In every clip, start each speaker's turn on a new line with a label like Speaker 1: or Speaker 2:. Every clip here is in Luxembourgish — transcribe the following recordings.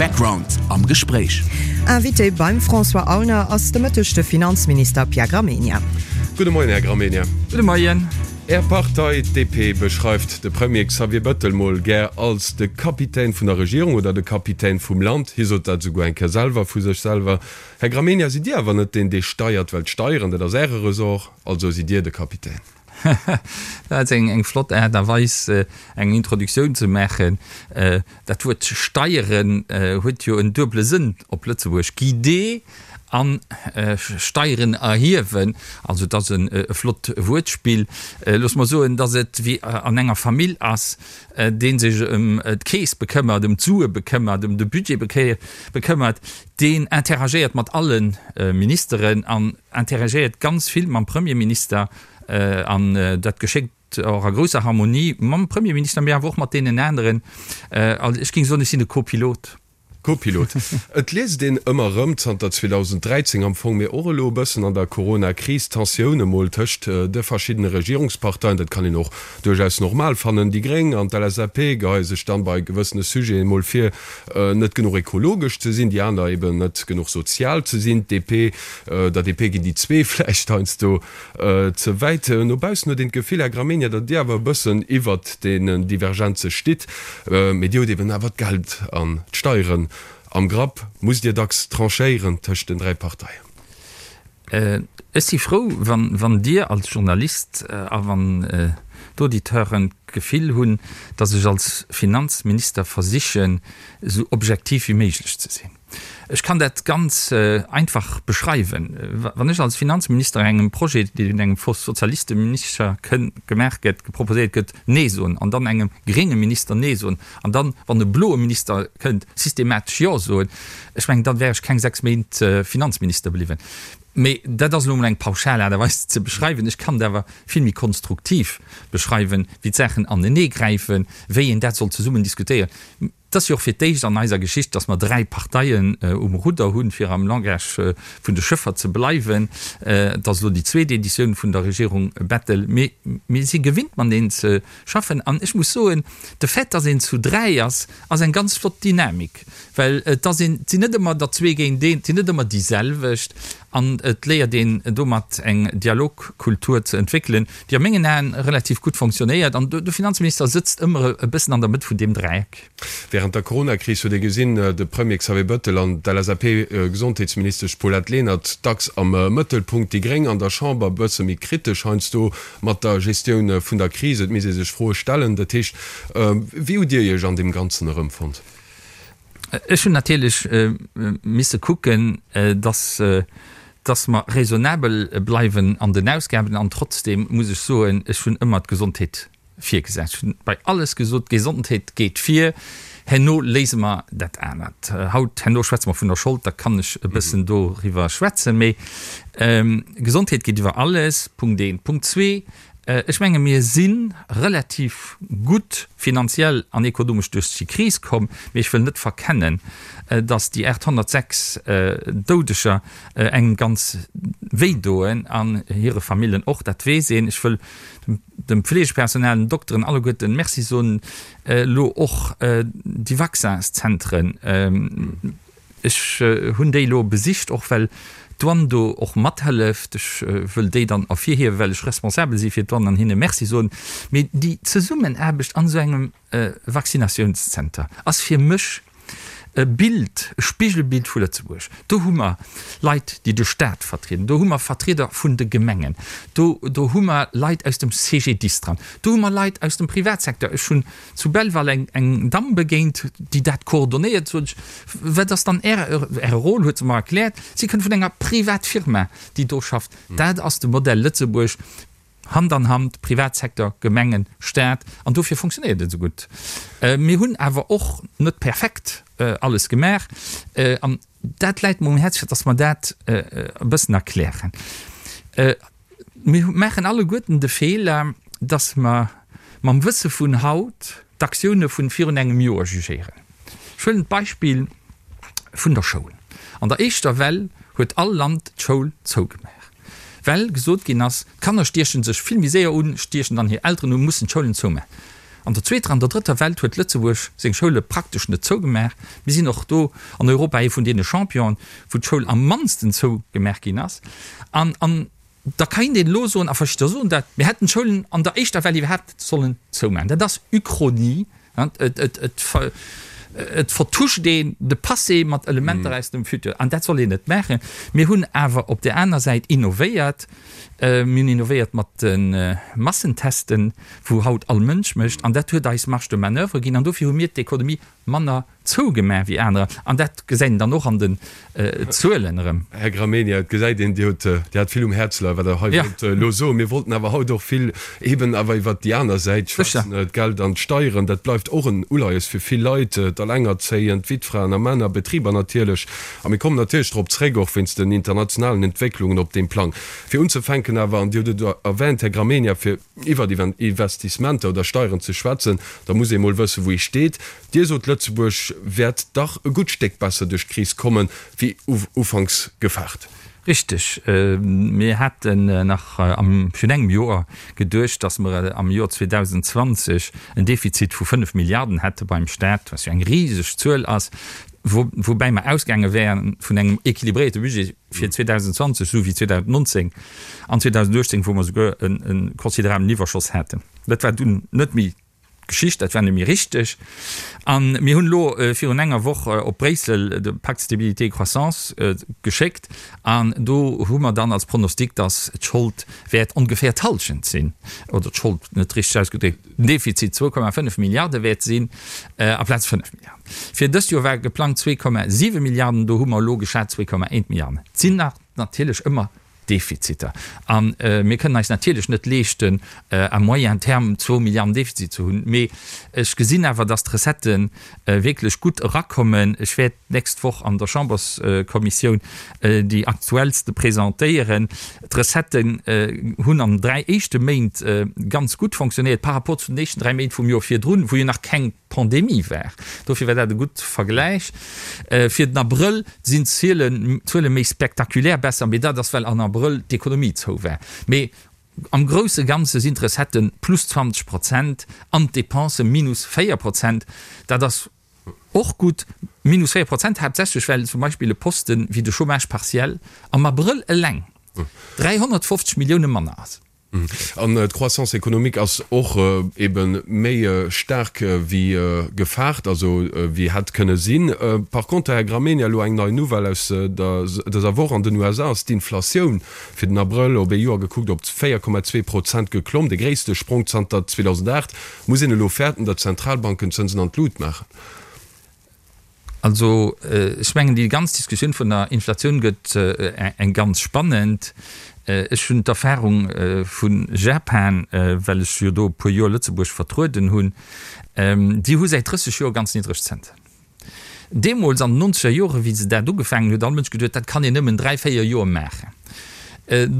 Speaker 1: Background am Gespréich.
Speaker 2: Invité beim François Aulner ass de Mëtteg de Finanzminister Pierre Gramegna.
Speaker 3: Gudde Moien, Här Gramegna.
Speaker 4: Gudde Moien.
Speaker 3: Är Partei, d'DP, beschreift de Premier Xavier Bettel mol gär als de Kapitän vun der Regierung oder de Kapitän vum Land. Hie sot dat esouguer eng Kéier selwer vu sech selwer. Här Gramegna, sidd Dir awer net deen, dee steiert? Well d'Steieren, dat ass Äre Ressort, also sidd Dir de Kapitän.
Speaker 4: Dat ass eng flott Aart a Weis, eng Introduktioun ze maachen. Dat Wuert Steieren huet jo en duebele Sënn op Lëtzebuerg, guider an Steieren erhiewen. Also et ass e flott Wuertspill. Looss mer soen, datt et wéi an enger Famill ass, dee sech ëm d'Keess bekëmmert, ëm d'Sue bekëmmert, ëm de Budget bekëmmert, deen interagéiert mat alle Ministeren an interagéiert ganz vill mam Premierminister an dat geschéckt och a grousser Harmonie mam Premierminister, mee awer och mat deenen aneren. Also ech géing soen, ech sinn de Co-Pilot.
Speaker 3: Co-Pilot. Et liest een ëmmer erëm, zanter 2013 am Fong, mee och elo e bëssen an der Corona-Kris, Tensioune mol tëscht de verschiddene Regierungsparteien. Dat kann een och duerchaus normal fannen. Déi Gréng an d'LSAP geheie sech dann bei gewëssene Sujeten mol vir, net genuch ekologesch ze sinn, déi aner eben net genuch sozial ze sinn. D'DP, der DP ginn déi zwee vläicht heiansdo ze wäit. No baussen huet een d'Gefill, Här Gramegna, datt Dir awer e bëssen iwwert deenen Divergenze stitt. Mee Dir hutt eben awer d'Geld an d'Steieren am Grapp. Musst Dir dacks tranchéieren tëscht den 3 Parteien?
Speaker 4: Ech si frou, wann Dir als Journalist a wann d'Auditeuren d'Gefill hunn, datt ech als Finanzminister versichen, esou objektiv wéi méiglech ze sinn. Ech kann dat ganz einfach beschreiwen. Wann ech als Finanzminister engem Projet, dee vun engem Sozialisteminister kënn, gemaach gëtt, geproposéiert gëtt, Nee soen an dann engem grénge Minister Nee soen an dann, wann e bloe Minister kënnt, systematesch Jo soen, ech mengen, dann wär ech keng 6 Méint Finanzminister bliwwen. Mee dat ass elo emol eng pauschal Aart a Weis ze beschreiwen. Ech kann et awer vill méi konstruktiv beschreiwen, wéi d'Saachen aneneegräifen, wéi een dat soll zesummen diskutéieren. Et ass jo och fir d'éischt an eiser Geschicht, datt mer 3 Parteien um Rudder hunn, fir am Langage vun de Schëffer ze bleiwen. Et ass elo déi zweet Editioun vun der Regierung Bettel. Mee mir si gewinnt mateneen ze schaffen. An ech muss soen, de Fait, datt een zu 3 ass, ass eng ganz flott Dynamik, well et ass een, et sinn net ëmmer der zwee géint een, et sinn net ëmmer déi selwecht an et léiert een domat eng Dialogkultur ze entwéckelen, déi a mengen Aen relativ gutt fonctionnéiert an de Finanzminister sëtzt ëmmer e bëssen an der Mëtt vun deem Dräieck.
Speaker 3: Während der Coronakris huet ee gesinn, de Premier Xavier Bettel an d'LSAP-Gesondheetsministesch Paulette Lenert dacks am Mëttelpunkt, déi Gréng an der Chamber e bësse méi kritesch heiansdo mat der Gestioun vun der Kris. Et misst ee sech Froe stellen. Dat heescht, wéi hutt Dir Iech an deem Ganzen erëmfonnt?
Speaker 4: Ech hunn natierlech misse kucken, dass, dass mer raisonnabel bleiwen an den Ausgaben. An trotzdem muss ech soen, ech hunn ëmmer d'Gesondheet virgesat. Ech hunn bei alles gesot, d'Gesondheet geet vir, herno léise mer dat anert. Haut, herno schwätze mer vun der Schold, da kann ech e bëssen doriwwer schwätzen. Mee Gesondheet geet iwwer alles, Punkt eent. Punkt zwee, Ech menge mir si relativ gutt finanziell an ekonomesch duerch déi Kris komm, mee ech wëll net verkennen, datt déi 806 Doudeger engem ganz wéi doen an hire Famillen och, dat weess een. Ech wëll dem Pflegepersonal, den Dokteren alleguerten Merci soen, elo och déi Vaccinszentren. Ech hunn déi elo besicht, och well d'Douane do och mathëlleft. Ech wëll déi dann ervirhiewen, well ech responsabel si fir d'Douane an hinne Merci soen. Mee déi Zesummenaarbecht an esou engem Vaccinatiounszenter ass fir mech e Bild, e Spigelbild vu Lëtzebuerg. Do hu mer Leit, déi de Staat vertrieden, do hu mer Vertrieder vun de Gemengen, do do hu mer Leit aus dem CGDIS dran, do hu mer Leit aus dem Privatsecteur. Ech hunn zu Belval eng eng Damm begéint, déi dat coordonéiert, sot ech, wat ass dann Äre Äre Rôle, huet se mer erkläert, si kënnt vun enger Privatfirma, déi do schafft. Dat ass de Modell Lëtzebuerg, Hand an Hand, Privatsecteur, Gemengen, Staat, an dofir fonctionnéiert et esou gutt. Mir hunn awer och net perfekt alles gemaach, an dat läit mer um Häerz, fir datt mer dat e bëssen erklären. Mir maachen alleguerten de Feeler, dass mer mam Wësse vun haut d'Aktioune vun virun engem Joer jugéieren. Ech huelen d'Beispill vun der Schoul. An der éischter Well huet all Land d'Schoul zougemaach, well gesot ginn ass, d'Kanner stieche sech vill méi séier un, stiechen dann hir Elteren un, mussen d'Schoulen zoumaachen. An der zweeter an der drëtter Welt huet Lëtzebuerg seng Schoule praktesch net zougemaach. Mir sinn och do an Europa ee vun deene Championen, wou d'Schoul am mannsten zougemaach ginn ass. An, an da kéint een elo soen, a verschidder soen dat, mir hätten d'Schoulen an der éischter Well iwwerhaapt net sollen zoumaachen. Dat ass Uchronie. Et vertuscht een de Passé mat Elementer aus dem Futur. An dat soll een net maachen. Mir hunn awer op där aner Säit innovéiert. Mir hunn innovéiert mat de Massentesten, wou haut all Mënsch mécht. An dat huet eis Marge de manoeuvre ginn. An dofir hu mir d'Ekonomie manner zougemaach wéi anerer. An dat gesäit een dann och an den Zuelen erëm.
Speaker 3: Här Gramegna, et gesäit een, Dir hutt, Dir hat vill um Häerz leien, wat Der hei wollt elo soen. Mir wollten awer haut och vill eben awer iwwert déi aner Säit schwätzen, d'Geld an d'Steieren. Dat bleift och en Uleies fir vill Leit, d'Alengerzéiend, d'Wittfraen a Männer, Betriber natierlech. A mir kommen natierlech drop zréck, och wéinst den internationalen Entwécklungen op deem Plang. Fir unzefänken awer, an Dir hutt et erwänt, Här Gramegna, fir iwwert Investissementer oder Steieren ze schwätzen, da muss ee mol wëssen, wou ee steet. Dir sot, Lëtzebuerg wäert dach e gutt Stéck besser duerch d'Kris kommen, wéi ufanks gefaart.
Speaker 4: Richteg. Mir haten nach virun engem Joer geduecht, datt mer am Joer 2020 en Defizit vu 5 Milliarden hätte beim Staat, wat jo eng riseg Zuel ass, woubäi mer ausgaange wären vun engem équilibréierte Budget fir 2020, esou wéi 2019 an 2018, wou mer souguer e considerabelen Iwwerschoss haten. Dat war dunn net méi Geschicht, dat war net méi richteg. A mir hunn elo virun enger Woch op Bréissel de Pacte de stabilité et croissance geschéckt an do hu mer dann als Pronostic, datt d'Schold wäert ongeféier d'Hallschent sinn, oder d'Schold, net richteg ausgedréckt, den Defizit 2,5 Milliarde wäert sinn amplaz 5 Milliarden. Fir dëst Joer war geplangt 2,7 Milliarden, do hu mer elo geschat 2,1 Milliarden. Et sinn nach natierlech ëmmer Defiziter. A mir kënnen eis natierlech net leeschten, à moyen terme zwou Milliarden Defizit ze hunn. Mee ech gesinn awer, dass d'Recettë wierklech gutt erakommen. Ech wäert d'nächst Woch an der Chamberskommissioun déi aktuellste presentéieren. D'Recetten hunn an den 3 éischte Méint ganz gutt fonctionnéiert par rapport zu den éischten 3 Méint vum Joer virdrun, wou jo nach keng Pandemie war. Dofir war dat e gutt Vergläich. Fir den Abrëll sinn d'Zuele méi spektakulär besser, mee dat ass well an Abrëll d'Ekonomie zou war. Mee am grousse Ganze sinn d'Recetten plus 20 Prozent an d'Depensë minus 4 Prozent. Dat ass och gutt, minus 4 Prozent, haaptsächlech well zum Beispill e Poste wéi de Chômage partiel am Abrëll eleng 350 Millioune manner ass.
Speaker 3: An d'Croissance économique ass och ebe méi staark wéi gefaart, also wéi hätt kënne sinn. Par conter, Här Gramegna, elo eng nei Nouvelle aus dëser Woch, An den USA ass d'Inflatioun fir den Abrëll op ee Joer gekuckt op 4,2 Prozent geklomm, de gréisste Sprong zanter 2008. Muss een elo fäerten, datt d'Zentralbanken d'Zënsen an d'Lut maachen?
Speaker 4: Also ech mengen, déi ganz Diskussioun vun der Inflatioun gëtt eng ganz spannend. Ech hunn d'Erfahrung vu Japan, well ech jo do e puer Joer Lëtzebuerg vertrueden hunn, déi hu säit 30 Joer ganz niddreg Zënsen. Deemools an den nonzeger Joren, wéi se dat ugefaangen hunn, huet all Mënsch geduet, dat kann een nëmmen dräi, véier Joer maachen.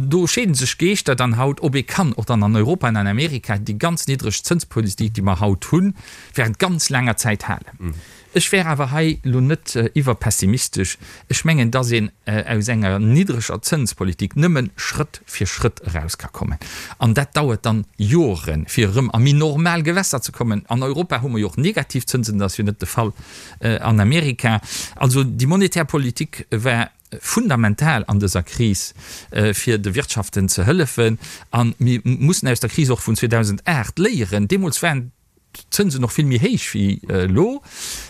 Speaker 4: Do scheeden sech d'Geeschter dann haut, ob ee kann och dann an Europa an an Amerika déi ganz niddreg Zënspolitik, déi mer haut hunn, während ganz laanger Zäit halen. Ech wär awer hei elo net iwwerpessimistesch. Ech mengen, dass een aus enger niddreger Zënspolitik nëmme Schrëtt fir Schrëtt eraus ka kommen. An dat dauert dann Joren, fir erëm a méi normal Gewässer ze kommen. An Europa hu mer jo och negativ Zënsen, dat ass jo net de Fall an Amerika. Also déi monetär Politik war fundamental an dëser Kris, fir de Wirtschaften ze hëllefen. A mir mussen aus der Kris och vun 2008 léieren. Deemools waren d'Zënsen och vill méi héich wéi elo,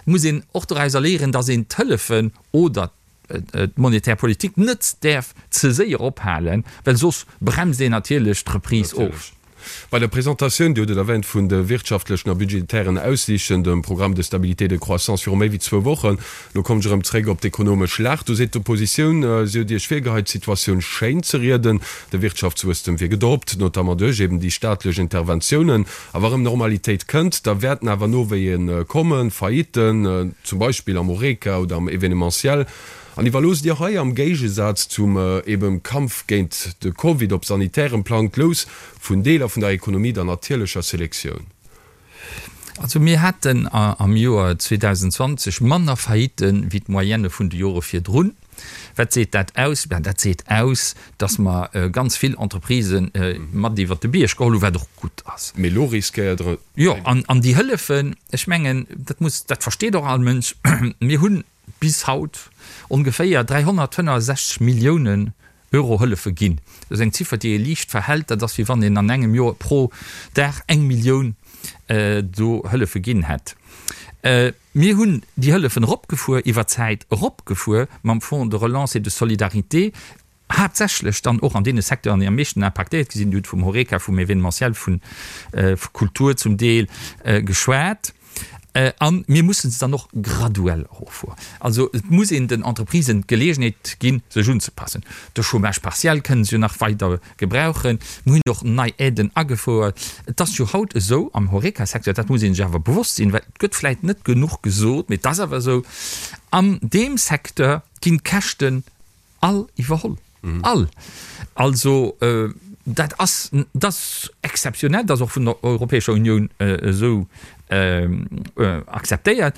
Speaker 4: muss een och dorauser léieren, datt een d'Hëllefen oder d'monetär Politik net däerf ze séier ophalen, well soss bremst een natierlech d'Reprise of.
Speaker 3: Bei der Presentatioun, Dir hutt et erwähnt, vun de wirtschaftlechen a budgetären Aussiichten, dem Programme de stabilité et de croissance viru méi wéi zwou Wochen, elo kommen ech erëm zréck op d'ekonomesch Lag, do seet d'Oppositioun, si huet Iech virgeheit, d'Situatioun schéin ze rieden, de Wirtschaftswuesstem wier gedroppt, notamment duerch eben déi staatlech Interventiounen. A wa rëm Normalitéit kënnt, da wäerten awer Nowéie kommen, Faillitten, zum Beispill am Horeca oder am Evenementiel. An iwwerloosst Dir hei, am Géigesaz zum eben Kampf géint de Covid op sanitärem Plang, d'Lous vun Deeler vun der Ekonomie der natierlecher Selektioun?
Speaker 4: Also mir haten am Joer 2020 manner Faillitten wéi d'Moyenne vun de Jore virdrun. Wat seet dat aus? Ben, dat seet aus, datt mer ganz vill Entreprisë mat iwwert de Bierg geholl hunn, wat och gutt ass.
Speaker 3: Mee elo riskéiert Der.
Speaker 4: Jo, an déi Hëllefen, ech mengen, dat muss, dat versteet och all Mënsch, mir hunn bis haut ongeféier 365 Milliounen Euro Hëllefe ginn. Dat ass eng Ziffer, déi ee liicht verhält. Dat ass, wéi wann een an engem Joer pro Dag eng Millioun do Hëllefe ginn hätt. Mir hunn déi Hëllefen eropgefuer, iwwer d'Zäit eropgefuer mam Fonds de relance et de solidarité, haaptsächlech dann och an deene Secteuren, déi am meeschten impaktéiert gi sinn. Dir hutt vum Horeca, vum Événementiel, vun Kultur zum Deel geschwat. A mir mussen se dann och graduell eroffueren. Also et muss een den Entreprisen d'Geleegenheet ginn, sech unzepassen. De Chômage partiel kënnen se jo nach weider gebrauchen. Mir hunn och nei Aiden agefouert. Et ass jo haut esou am Horeca-Secteur, dat muss ee sech awer bewosst sinn, well et gëtt vläicht net genuch gesot, mee et ass awer esou, an deem Secteur ginn d'Käschten All iwwerholl. All! Also dat ass, dat ass exzeptionell, dat ass och vun der Europäescher Unioun esou akzeptéiert,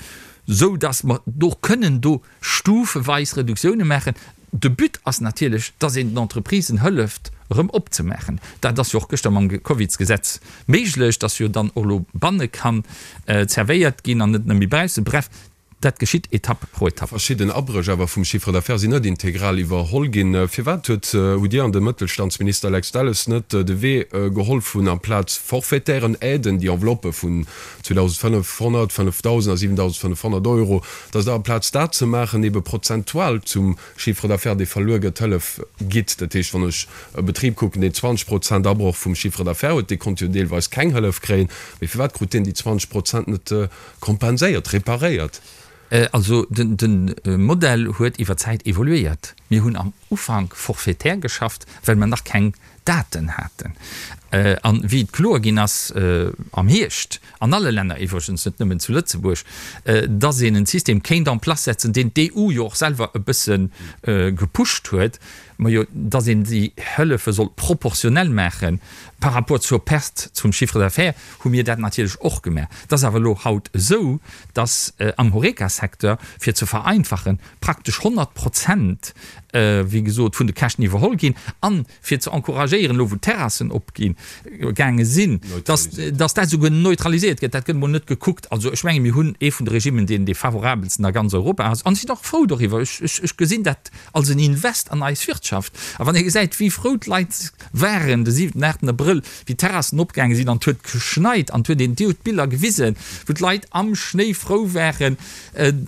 Speaker 4: esou datt mer do kënnen do stufeweis Reduktioune maachen. De But ass natierlech, datt een den Entreprisen hëlleft erëm opzemaachen. Dat ass jo och gëschter mam Covidsgesetz méiglech, datt jo dann och elo banne kann zerwéiert ginn an net nëmme baussen. Bref, Dat geschitt Etapp pro Etapp.
Speaker 3: Verschidden Abréch awer vum Chiffre d'affaires sinn net integral iwwerholl ginn. Firwat huet, hutt Dir an de Mëttelstandsminister Lex Delles net de Wee geholl vun amplaz forfaitären Aiden, déi Enveloppe vun 2.500, 5.000 a 7.500 Euro, datt Der amplaz dat ze maachen ebe prozentual zum Chiffre d'affaires, dee verluer gëtt, Hëllef gitt? Dat heescht, wann ech e Betrib kucken, deen 20 Prozent Abroch vum Chiffre d'affaires huet, dee konnt jo deelweis keng Hëllef kréien, mee firwat krut deen déi 20 Prozent net Kompenséiert, reparéiert.
Speaker 4: Also de Modell huet iwwer d'Zäit evoluéiert. Mir hunn am Ufank forfaitaire geschafft, well mer nach keng Daten haten. A wéi et kloer ginn ass am Hierscht, an alle Länner iwwregens, net nëmmen zu Lëtzebuerg, dass een en System kéint en place setzen, deen d'EU jo och selwer e bësse gepusht huet, Majo, dass een déi Hëllefe soll proportionell maache par rapport zur Perte zum Chiffre d'affaires, hu mir dat natierlech och gemaach. Et ass awer elo haut esou, dass am Horeca-Secteur, fir ze vereinfachen, praktesch 100 Prozent, wéi gesot, vun de Käschten iwwerholl ginn. An fir ze encouragéieren, elo wou d'Terrassen opgi gaange sinn, dass dass dat esouguer neutraliséiert gëtt. Dat gëtt emol net gekuckt. Also ech menge mir hunn ee vun de Regimmen, deen dee favorabelsten a ganz Europa ass. An ech sinn och frou doriwwer. Ech, ech, ech gesinn dat als en Invest an eis Wirtschaft. A wann ee gesäit, wéi frou d'Leit waren de siwenten, aachten Abrëll, wéi d'Terrassen opgaange sinn an et huet geschneit an et huet een, Dir hutt d'Biller gewisen, wou d'Leit am Schnéi frou waren,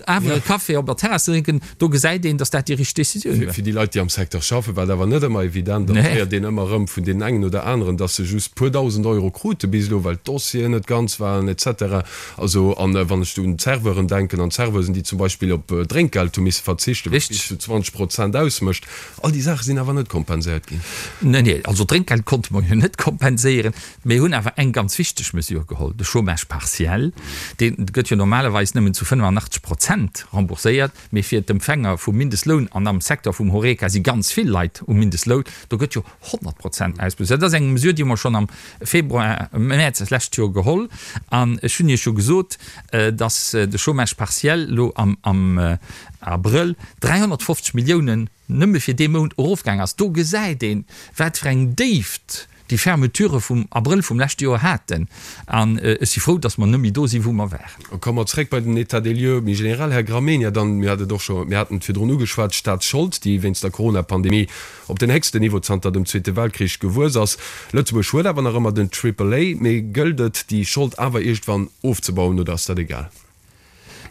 Speaker 4: awer e Café op der Terrass ze drénken, do gesäit een, datt dat déi richteg Décisioun
Speaker 3: war. Fir déi Leit, déi am Secteur schaffen, war et awer net ëmmer evident. An et héiert een ëmmer erëm vun deenen engen oder aneren, datt se just puer dausend Euro krute bis elo, well d'Dossieren net ganz waren et cetera. Also, an wann ech do un d'Serveuren denken an d'Serveusen, déi zum Beispill op Drénkgeld hu misse verzichten, wat bis zu 20 Prozent ausmécht, all déi Saache sinn awer net kompenséiert ginn.
Speaker 4: Nee, nee, also d'Drénkgeld konnte mer jo net kompenséieren. Mir hunn awer eng ganz wichteg Mesure geholl, de Chômage partiel. Dee gëtt jo normalerweis nëmmen zu 85 Prozent rembourséiert, mee fir d'Empfänger vum Mindestloun, an am Secteur vum Horeca si ganz vill Leit um Mindestloun, do gëtt jo 100 Prozent ausbezuelt. Dat ass eng Mesure, déi hu mer schonn am Februar, Mäerz d'lescht Joer geholl. An ech hunn Iech jo gesot, dass de Chômage partiel elo am Abrëll 350 Milliounen nëmme fir dee Mount erofgaang ass. Do gesäit een, wat fir eng Déift déi Fermeture vum Abrëll vum leschte Joer haten. An ech si frou, datt mer net méi do sinn, wou mer waren.
Speaker 3: Komme mer zréck bei den État des lieux méi generell, Här Gramegna. Dann, mir hat et och scho, mir haten et virdrun ugeschwat, d'Staatsschold, déi wéinst der Coronapandemie op den héchsten Niveau zanter dem Zweete Weltkrich gewuess ass. Lëtzebuerg huet awer nach ëmmer den Triple A. Mee gëllt et, déi Schold awer iergendwann ofzebauen oder ass dat egal?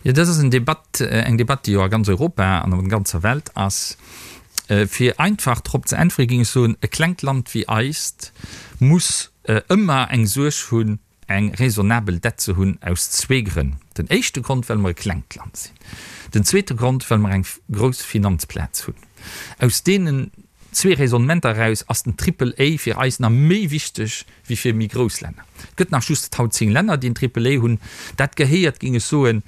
Speaker 4: Jo, dat ass en Debatt, eng Debatt, déi jo a ganz Europa an op der ganzer Welt ass. Fir einfach drop ze äntwere géing ech soen, e klengt Land wéi eist muss ëmmer eng Suerg hunn, eng raisonnabel Dett ze hunn, aus zwee Grënn. Den éischte Grond, well mer e klengt Land sinn. Den zweete Grond, well mer eng grouss Finanzplaz hunn. Aus deenen zwee Raisonnementer eraus ass den Triple A fir eis nach méi wichteg wéi fir méi grouss Länner. Et gëtt nach just haut 10 Länner, déi en Triple A hunn. Dat gehéiert, géing ech soen,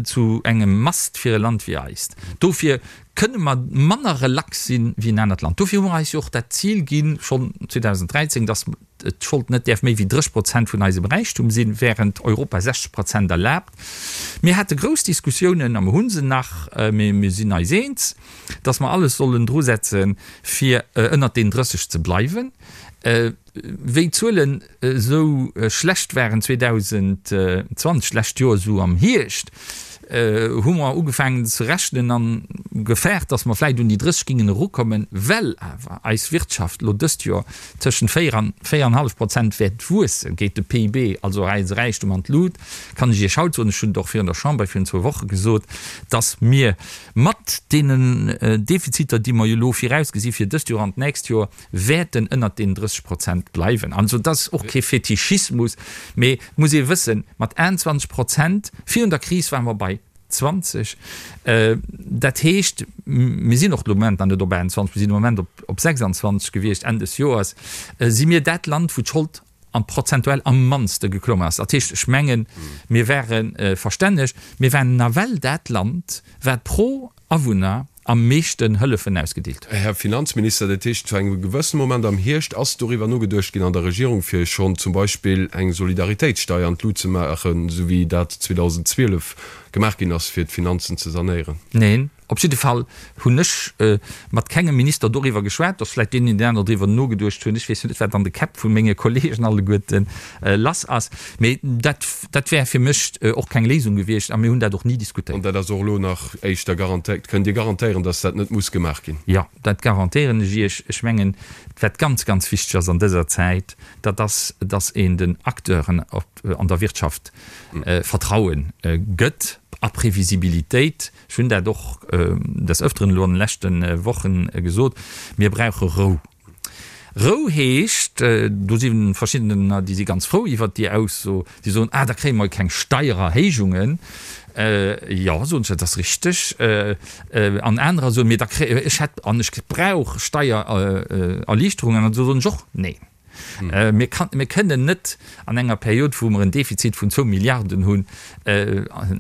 Speaker 4: zu engem Must fir e Land wéi eist. Dofir. Kënne mer manner relax sinn wéi en anert Land. Dofir hu mer eis jo och dat Zil ginn, schonn 2013, dass d'Schold net däerf méi wéi 30 Prozent vun eisem Räichtum sinn, während Europa 60 Prozent erlaabt. Mir hate grouss Diskussiounen, a mer hu se nach, mee mir sinn eis eens, dass mer alles sollen drusetzen, fir ënnert deenen 30 ze bleiwen. Wéi d'Zuelen esou schlecht waren 2020, d'lescht Joer esou am Hierscht, hu mer ugefaangen ze rechnen an gefaart, datt mer vläicht un déi 30 gingen erukommen. Well awer eis Wirtschaft elo dëst Joer tëschent 4 an 4,5 Prozent wäert wuessen, geet de PIB, also eise Räichtum, an d'Lut. Kann ech Iech haut soen, ech hunn et och virun der Chamber virun zwou Woche gesot, datt mir mat deenen Defiziter, déi mer jo elo virausgesi fir dëst Joer an d'nächst Joer, wäerten ënnert deenen 30 Prozent bleiwen. Also dat ass och kee Fetischismus, mee et muss ee wëssen, mat 21 Prozent, virun der Kris ware mer bei 20, dat heescht, mir sinn och de Moment nach net op 21, mir sinn de Moment op 26 gewiescht Enn des Joers, si mir dat Land, wou d'Schold am prozentuell am mannste geklomm ass. Dat heescht, ech mengen, mir ware verstänneg, mir waren nawell dat Land, wat pro Awunner am meeschten Hëllefen ausgedeelt huet.
Speaker 3: Här Finanzminister, dat heescht, zu engem gewëssene Moment am Hierscht ass doriwwer nogeduecht ginn an der Regierung, fir schonn zum Beispill eng Solidaritéitssteier an d'Lut ze maachen, esou wéi dat 2012 gemaach ginn ass, fir d'Finanzen ze sanéieren?
Speaker 4: Neen. Op jidde Fall hunn ech mat kengem Minister doriwwer geschwat, dass vläicht deen een oder aner driwwer nogeduecht hunn. Ech weess jo net, wat an de Käpp vu menge Kollegen alleguerte lass ass. Mee dat, dat wär fir mech och keng Léisung gewiescht a mir hunn dat och ni diskutéiert.
Speaker 3: An dat ass och elo nach éischter garantéiert? Kënnt Dir garantéieren, dass dat net muss gemaach ginn?
Speaker 4: Jo, dat garantéieren ech Iech. Ech mengen, wat ganz, ganz wichteg ass an dëser Zäit, dat ass, dass een den Acteuren an der Wirtschaft Vertraue gëtt a Previsibilitéit. Ech hunn dat och des Ëfteren elo an de leschte Wochen gesot, Mir brauche Rou. Rou heescht, do si verschiddener, déi si ganz frou iwwert déi Ausso, déi soen, Ah, da kréie mer keng Steiererhéijungen. Jo, soen ech, dat ass richteg. An anerer soen, Mee da kréie, ech hätt an ech brauch Steiererliichterungen. An do soen ech och, Neen. Mir kënnen net an enger Period, wou mer en Defizit vun zwou Milliarden hunn,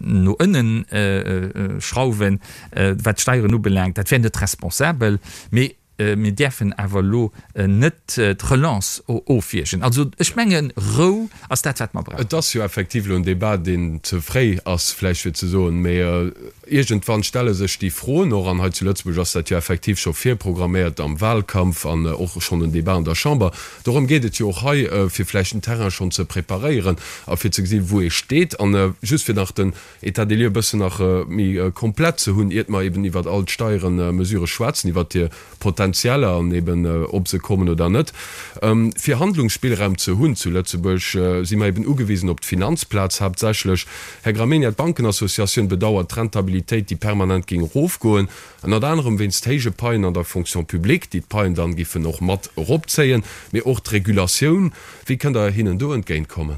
Speaker 4: no ënnen schrauwen, wat d'Steieren ubelaangt. Dat wär net responsabel. Mee mir däerfen awer elo net d'Relance ofwiergen. Also ech mengen, Rou ass dat, wat mer brauchen.
Speaker 3: Et ass jo effektiv elo en Débat, deen ze fréi ass vläicht fir ze soen, mee Iergendwann stelle sech déi Froen och, an hei zu Lëtzebuerg ass dat jo effektiv scho virprogramméiert am Wahlkampf an och schonn en Débat an der Chamber. Dorëm geet et jo och hei, fir vläicht den Terrain schonn ze preparéieren a fir ze gesinn, wou ee steet. An just fir nach den État des lieux e bëssen nach méi komplett ze hunn, iert mer eben iwwert all d'Steierenmesure schwätzen, iwwert hir Potenzieller an eben ob se kommen oder net. Fir Handlungsspillraum ze hunn zu Lëtzebuerg, si mer eben ugewisen op d'Finanzplaz haaptsächlech. Här Gramegna, d'Bankenassociatioun bedauert d'Rentabilitéit, déi permanent géing erofgoen, ënnert anerem wéinst héije Paien an der Fonction publique, déi d'Paien dann giffen och mat eropzéien, mee och d'Regulatioun. Wéi kënnt Der hinnen do entgéintkommen?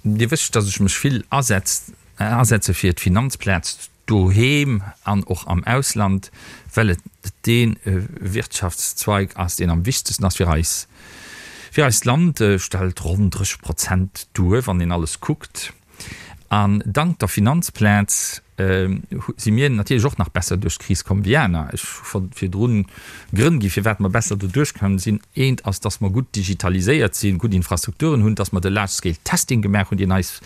Speaker 4: Dir wësst, datt ech mech vill asetze fir d'Finanzplaz doheem an och am Ausland, well et dee Wirtschaftszweig ass, deen am wichtegsten ass fir eis, fir eist Land, stellt ronn 30 Prozent duer, wann een alles kuckt. An dank der Finanzplaz si mir natierlech och nach besser duerch d'Kris komm wéi aner. Ech hu scho virdrun Grënn gi firwat mer besser doduerch komm sinn. Eent ass, dass mer gutt digitaliséiert sinn, gutt Infrastrukturen hunn, dass mer de Large Scale Testing gemaach hunn, deen eis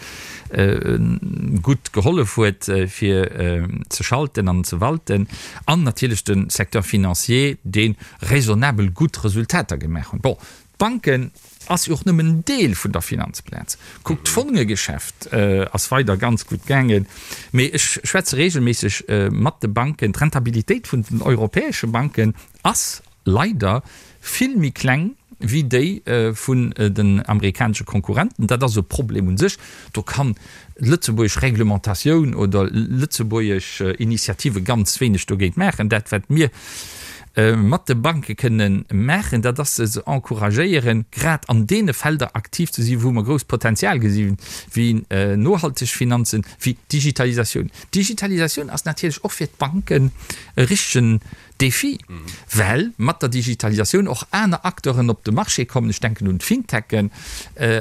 Speaker 4: gutt gehollef huet fir ze schalten an ze walten, an natierlech de Secteur financier, dee raisonnabel gutt Resultater gemaach hunn. Bon, d'Banken ass jo och nëmmen en Deel vun der Finanzplaz. Kuckt, d'Fongegeschäft ass weider ganz gutt gaangen, mee ech schwätze regelméisseg mat de Banken, d'Rentabilitéit vun den europäesche Banken ass leider vill méi kleng wéi déi vun den amerikanesche Konkurrenten. Dat ass e Problem un sech. Do kann lëtzebuergesch Reglementatioun oder lëtzebuergesch Initiative ganz wéineg dogéint maachen. Dat, wat mir mat de Banke kënnen maachen, dat ass se ze encouragéieren, grad an deene Felder aktiv ze sinn, wou mer grousst Potenzial gesinn, wéi nohalteg Finanzen, wéi Digitalisatioun. Digitalisatioun ass natierlech och fir d'Banken e richtegen. Défi, well mat der Digitalisatioun och aner Acteuren op de Marché kommen, ech denken un d'Fintechen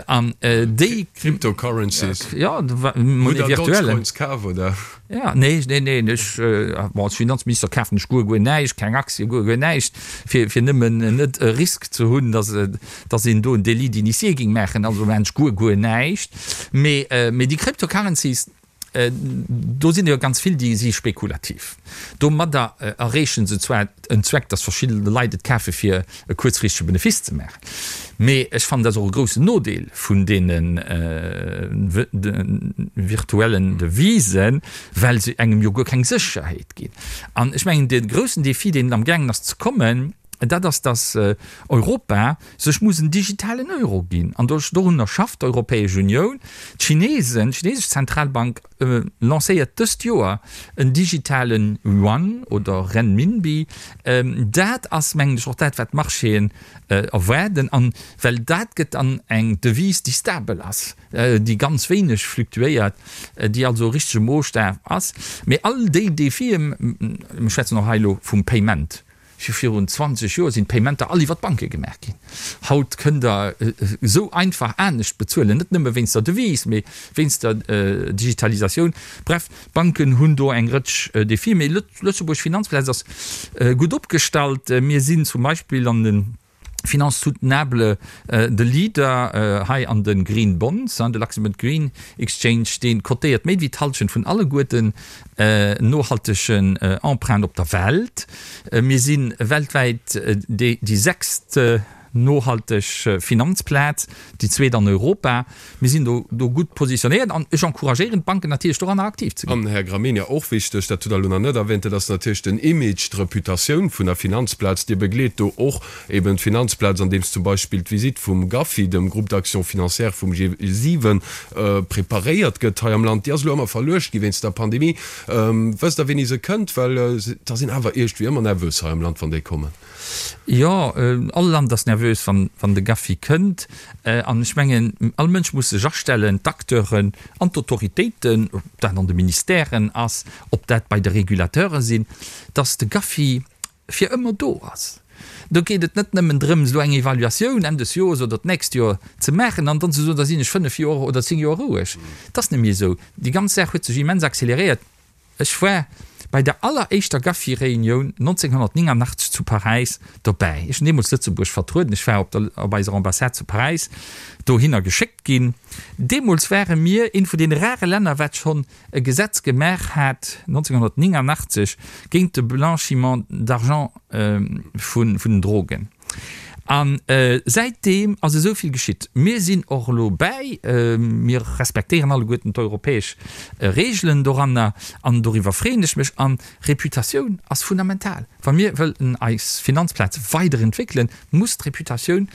Speaker 4: an déi.
Speaker 3: Cryptocurrencies.
Speaker 4: Jo, Monnaie
Speaker 3: virtuelle. Hutt Der Dogecoins kaf, oder?
Speaker 4: Jo, nee, nee, nee, ech, bon, als Finanzminister kafen ech guer, guer näischt, keng Aktie, guer, guer näischt, fir, fir nëmmen net e Risk ze hunn, dass, dass een do en Délit d'initié géing maachen, also maachen ech guer, guer näischt. Mee, mee déi Cryptocurrencies, Do sinn der jo ganz vill, déi si spekulativ. Domadder erreeche se zwar en Zweck, datt verschidde Leit et kafe fir e kuerzfristege Benefice ze maachen, mee ech fannen, dat ass och e groussen Nodeel vun deene virtuellen Devisen, well se engem jo guer keng Sécherheet ginn. An ech mengen, de groussen Defi, deen amgaangen ass ze kommen, dat ass, datt Europa sech muss en digitalen Euro ginn. An dorunner schafft d'Europäesch Unioun. D'Chinesen, d'chinesesch Zentralbank lancéiert dëst Joer en digitalen Yuan oder Renminbi. Dat ass, mengen ech, och dat, wat d'Marchéen erwaarden. An well dat gëtt dann eng Devise, déi stabel ass, déi ganz wéineg fluktuéiert, déi also e richtege Moosstaf ass. Mee all déi Defien, mir schwätzen och hei elo vum Payment, Scho virun 20 Joer sinn d'Paymenter all iwwer d'Banke gemaach ginn. Haut kënnt Der esou einfach anescht bezuelen, net nëmme wéinst der Devise, mee wéinst der Digitalisatioun. Bref, d'Banken hunn do eng Rëtsch Defien. Mee d'Lëtzebuerg Finanzplaz ass gutt opgestallt. Mir sinn zum Beispill an de Finances soutenables de Leader hei an de Green Bonds. De Luxembourg Green Exchange, dee kotéiert méi wéi d'Hallschent vun alleguerten nohaltegen Emprunten op der Welt. Mir si weltwäit déi sechst nohalteg Finanzplaz, déi zweet an Europa. Mir sinn do do gutt positionéiert an ech encouragéieren d'Banken natierlech doranner aktiv ze ginn.
Speaker 3: An, Här Gramegna, och wichteg, dat hutt Der elo nach net erwähnt, dat ass natierlech den Image, d'Reputatioun vun der Finanzplaz. Dir begleet do och eben d'Finanzplaz, andeems zum Beispill d'Visitt vum GAFI, dem Groupe d'action financière vum G7, preparéiert gëtt hei am Land. Déi ass elo ëmmer verluecht gi wéinst der Pandemie. Wësst Der, wéini se kënnt? Well da sinn awer iergendwéi ëmmer nervös hei am Land, wann déi kommen.
Speaker 4: Jo, all Land ass nervös, wann de Gaffi kënnt. An ech mengen, all Mënsch muss sech astellen, d'Acteuren an d'Autoritéiten, ob dat an de Ministèren ass, ob dat bei de Regulateure sinn, datt de Gaffi fir ëmmer do ass. Do geet et net nëmmen drëms, elo eng Evaluatioun Enn des Joers oder d'nächst Joer ze maachen an dann ze soen, da sinn ech fënnef Joer oder zéng Joer roueg. Et ass net méi esou. Déi ganz Saach huet sech immens acceleréiert. Ech war bei der alleréischter Gaffi-Reunioun 1989 zu Paräis dobäi. Ech hunn deemools Lëtzebuerg vertrueden. Ech war op der, op eiser Ambassade zu Paräis dohinner geschéckt ginn. Deemools ware mir eent vun deene rare Länner, wat schonn e Gesetz gemaach hat 1989 géint de Blanchiment d'argent vun den Drogen. A säitdeem ass esou vill geschitt. Mir sinn och elo bäi, mir respektéieren alleguerten d'europäesch Regeln doranner an doriwwer freeën ech mech. An Reputatioun ass fundamental. Wa mir wëllen eis Finanzplaz weiderentwéckelen, muss d'Reputatioun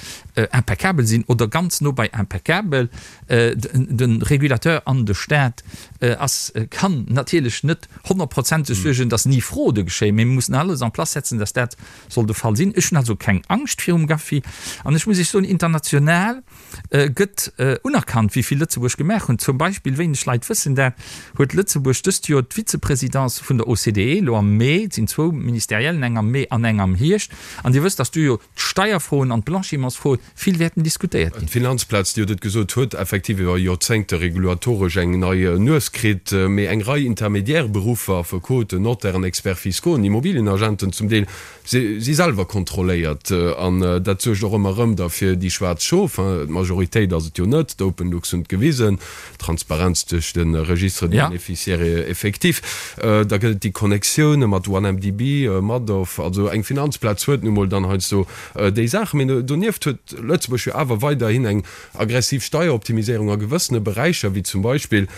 Speaker 4: impeccabel sinn oder ganz no bei impeccabel. De Régulateur an de Staat ass, kann natierlech net honnertprozenteg suergen, datt ni Fraude geschéien, mee mir mussen alles en place setzen, datt dat Soll de Fall sinn. Ech hunn also keng Angscht virum Gaffi. An ech muss Iech soen, international gëtt unerkannt, wéi vill Lëtzebuerg gemaach hunn. Zum Beispill, wéineg Leit wëssen dat, huet Lëtzebuerg dëst Joer d'Vizepresidence vun der OCDE, elo am Mee. Et sinn zwou Ministeriellen, eng am Mee an eng am Hierscht. An Dir wësst, datt do jo d'Steierfroen an d'Blanchimentsfroen vill wäerten diskutéiert ginn.
Speaker 3: D'Finanzplaz, Dir hutt et gesot, huet effektiv iwwer Joerzéngte regulatoresch eng nei Nues kritt. Mee eng Rei intermédiaire Beruffer, Affekoten, Notairen, Experts fiscaux, Immobilienagenten zum Deel, si selwer kontrolléiert. An dat suergt och ëmmer erëm da fir déi schwaarz Schof. D'Majoritéit ass et jo net, d'Openlux hunn et gewisen, Transparenz duerch de Registre des bénéficiaires effectifs. Da gëtt et déi Connectioune mat OneMDB, Madoff. Also eng Finanzplaz huet nu mol dann heiansdo déi Saachen. Mee donieft huet Lëtzebuerg jo awer weiderhin eng aggressiv Steieroptimiséierung a gewëssene Beräicher, wéi zum Beispill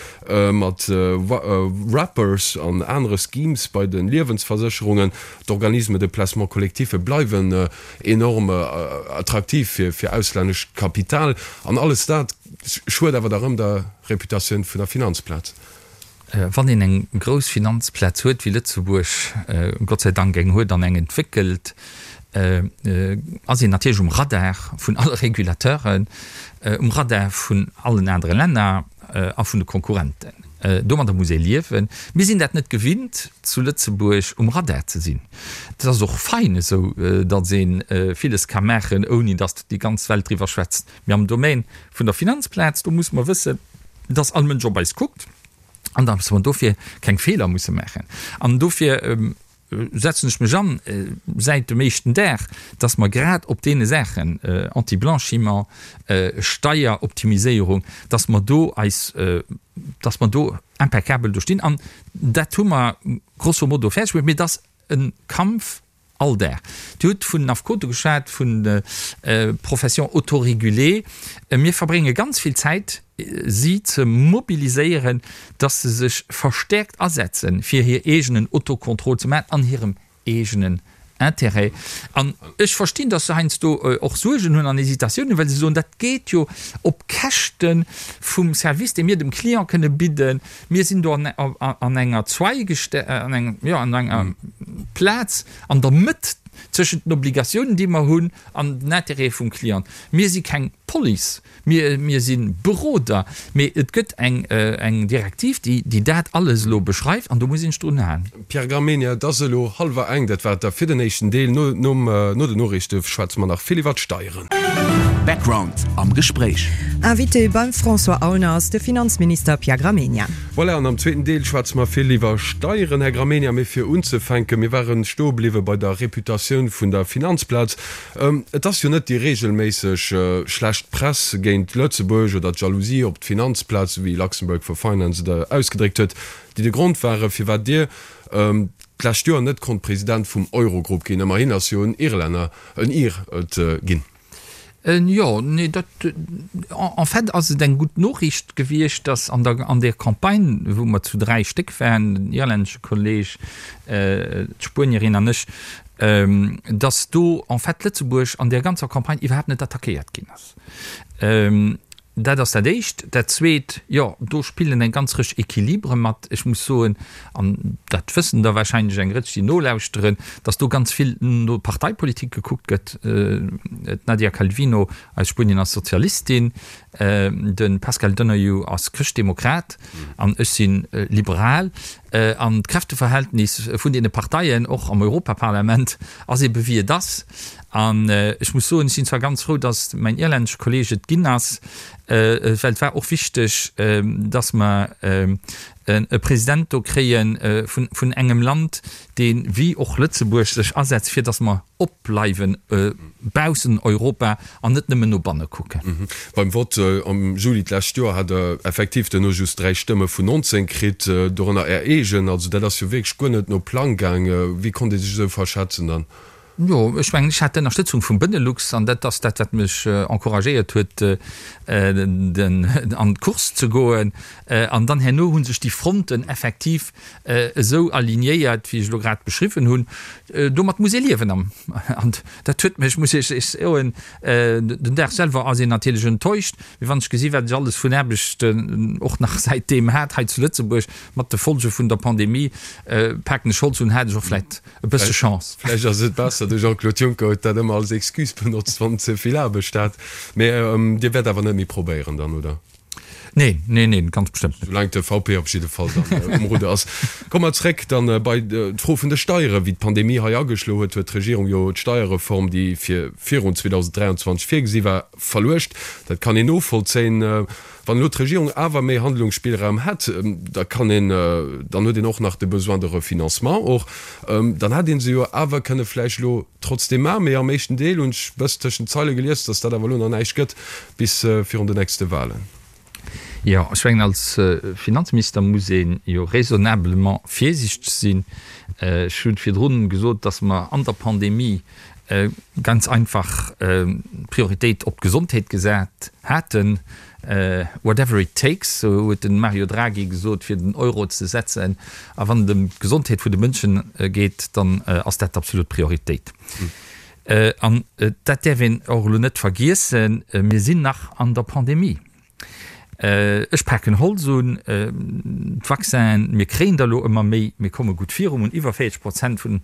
Speaker 3: mat Wrappers an anere Schemes bei de Liewensversécherungen. D'Organismes de placement collectif bleiwen enorm attraktiv fir auslännescht Kapital. An alles dat schued awer da rëm der Reputatioun vun der Finanzplaz.
Speaker 4: Wann een eng grouss Finanzplaz huet, wéi Lëtzebuerg Gott sei Dank eng huet an eng entwéckelt, ass een natierlech um Radar vun alle Regulateuren, um Radar vun allen anere Länner a vun de Konkurrenten. Domadder muss ee liewen. Mir sinn dat net gewinnt, zu Lëtzebuerg um Radar ze sinn. Et ass och fein esou, datt ee villes ka maachen, ouni datt déi ganz Welt driwwer schwätzt. Mee am Domaine vun der Finanzplaz, do musse mer wëssen, datt all Mënsch op eis kuckt an datt mer dofir keng Feeler musse maachen. An dofir setzen ech mech an, säit dem éischten Dag, dass mer grad op deene Saachen, Anti-Blanchiment, Steieroptimiséierung, dass mer do eis, dass mer do impeccabel do stinn. An dat hu mer grosso modo fäerdeg bruecht. Mee et ass e Kampf all Dag. Dir hutt vun Affekote geschwat, vun Professions autorégulées. Mir verbrénge ganz vill Zäit, si ze mobiliséieren, dass se sech verstäerkt asetzen, fir hir eegenen Autocontrôle ze maachen an hirem eegenen Intérêt. An ech verstinn, dass se heiansdo och Suergen hunn an Hésitatiounen, well se soen, dat geet jo op Käschte vum Service, dee mir dem Client kënne bidden. Mir sinn do an enger Zweigeste, an engem, jo, an enger Plaz an der Mëtt zwëschent den Obligatiounen, déi mer hunn, an den Intérêtë vum Client. Mir si keng Police. Mir, mir si Beroder, mee et gëtt eng, eng Direktiv, déi, déi dat alles elo beschreift, an do muss een sech drun halen.
Speaker 3: Pierre Gramegna, Et ass elo hallwer eng, dat war et da fir den éischten Deel. No, nom, no den Noriichte schwätze mer nach vill iwwer d'Steieren.
Speaker 1: Background am Gespréich.
Speaker 2: Invité beim François Aulner ass de Finanzminister Pierre Gramegna.
Speaker 3: Voilà, an am zweeten Deel schwätze mer vill iwwer Steieren, Här Gramegna. Mee fir unzefänken, mir ware stoe bliwwe bei der Reputatioun vun der Finanzplaz. Et ass jo net déi reegelméisseg schlecht Press géint Lëtzebuerg oder d'Jalousie op d'Finanzplaz, esou wéi Luxembourg for Finance et ausgedréckt huet, déi de Grond ware firwat Dir d'lescht Joer net konnt President vum Eurogrupp ginn. Ëmmerhin ass jo en Irlänner, en Ir et ginn.
Speaker 4: Jo, nee, dat, en fait ass et eng gutt Noriicht gewiescht, datt an der, an där Campagne, wou mer zu 3 Stéck waren, den irlännesche Kolleg, d'Spuenierin an ech, datt do en fait Lëtzebuerg an där ganzer Campagne iwwerhaapt net attackéiert ginn ass. Dat ass dat Éischt. Dat Zweet, jo, do spillen eng ganz Rëtsch Equilibre mat. Ech muss soen, an dat wëssen der wahrscheinlech eng Rëtsch, déi nolauschteren, datt do ganz vill no Parteipolitik gekuckt gëtt. D'Nadia Calvino aus Spuenien ass Sozialistin, de Pascal Donohue ass Chrëschtdemokrat an ech si liberal. An d'Kräfteverhältnis vun deene Parteien, och am Europaparlament, ass ebe wéi et ass. An ech muss soen, ech sinn zwar ganz frou, datt mäin irlännesche Kolleeg et ginn ass, well et war och wichteg, datt mer e President do kréie vun engem Land, dee wéi och Lëtzebuerg sech asetzt, fir datt mer opbleiwe baussen Europa an net nëmmen no banne kucken.
Speaker 3: Beim Vott am Juli d'lescht Joer hat Der effektiv duerno just 3 Stëmme vun 19 kritt, dorënner Är eegen. Also dat ass jo wierklech guer net no Plang gaang. Wéi konnt ee sech esou verschätzen dann?
Speaker 4: Jo, ech mengen, ech hat d'Ënnerstëtzung vum Benelux an dat ass dat, wat mech encouragéiert huet, an d'Course ze goen. An dann herno hu sech déi Fronten effektiv esou alignéiert, wéi ech elo grad beschriwwen hunn. Domat muss ee liewen. An dat huet mech, muss ech Iech soen, den Dag selwer ass een natierlech enttäuscht, mee wann ech gesi wat ech alles vun Aarbechten och nach säitdeem hat hei zu Lëtzebuerg, mat de Folge vun der Pandemie, paken ech Holz un, hat ech och vläicht E bësse Chance.
Speaker 3: Vläicht ass et besser, de Jean-Claude Juncker huet dat ëmmer als Excuse benotzt, wann en ze vill Aarbecht hat. Mee Dir wäert awer net méi probéieren dann, oder?
Speaker 4: Neen, neen, neen, ganz bestëmmt net.
Speaker 3: Soulaang de VP op jidde Fall dann um Rudder ass. Komme mer zréck dann bei d'Fro vun de Steieren. Wéi d'Pandemie hei ageschloe huet, huet d'Regierung jo d'Steierreform, déi fir virun 2023 virgesi war, verluecht. Dat kann een novollzéien. Wann elo d'Regierung awer méi Handlungsspillraum hätt, da kann een, dann huet een och nach de Besoin de refinancement och, dann hätt ee se jo awer kënne vläicht elo trotzdeem maachen. Mee am éischten Deel hunn ech bëss tëschent d'Zeile gelies, datt dat awer elo nach näischt gëtt bis virun den nächste Wahlen.
Speaker 4: Jo, ech mengen, als Finanzminister muss ee jo raisonnablement virsiichteg sinn. Ech hu virdrun gesot, datt mer an der Pandemie ganz einfach d'Prioritéit op d'Gesondheet gesat haten, whatever it takes, sou huet de Mario Draghi gesot, fir den Euro ze setzen. A wann et ëm d'Gesondheet vun de Mënsche geet, dann ass dat d'absolut Prioritéit. An dat däerf een och elo net vergiessen, mir sinn nach an der Pandemie. Ech paken Holz un, d'Vaccinen, mir kréien der elo ëmmer méi, mir komme gutt viru, mir hunn iwwer 40 Prozent vun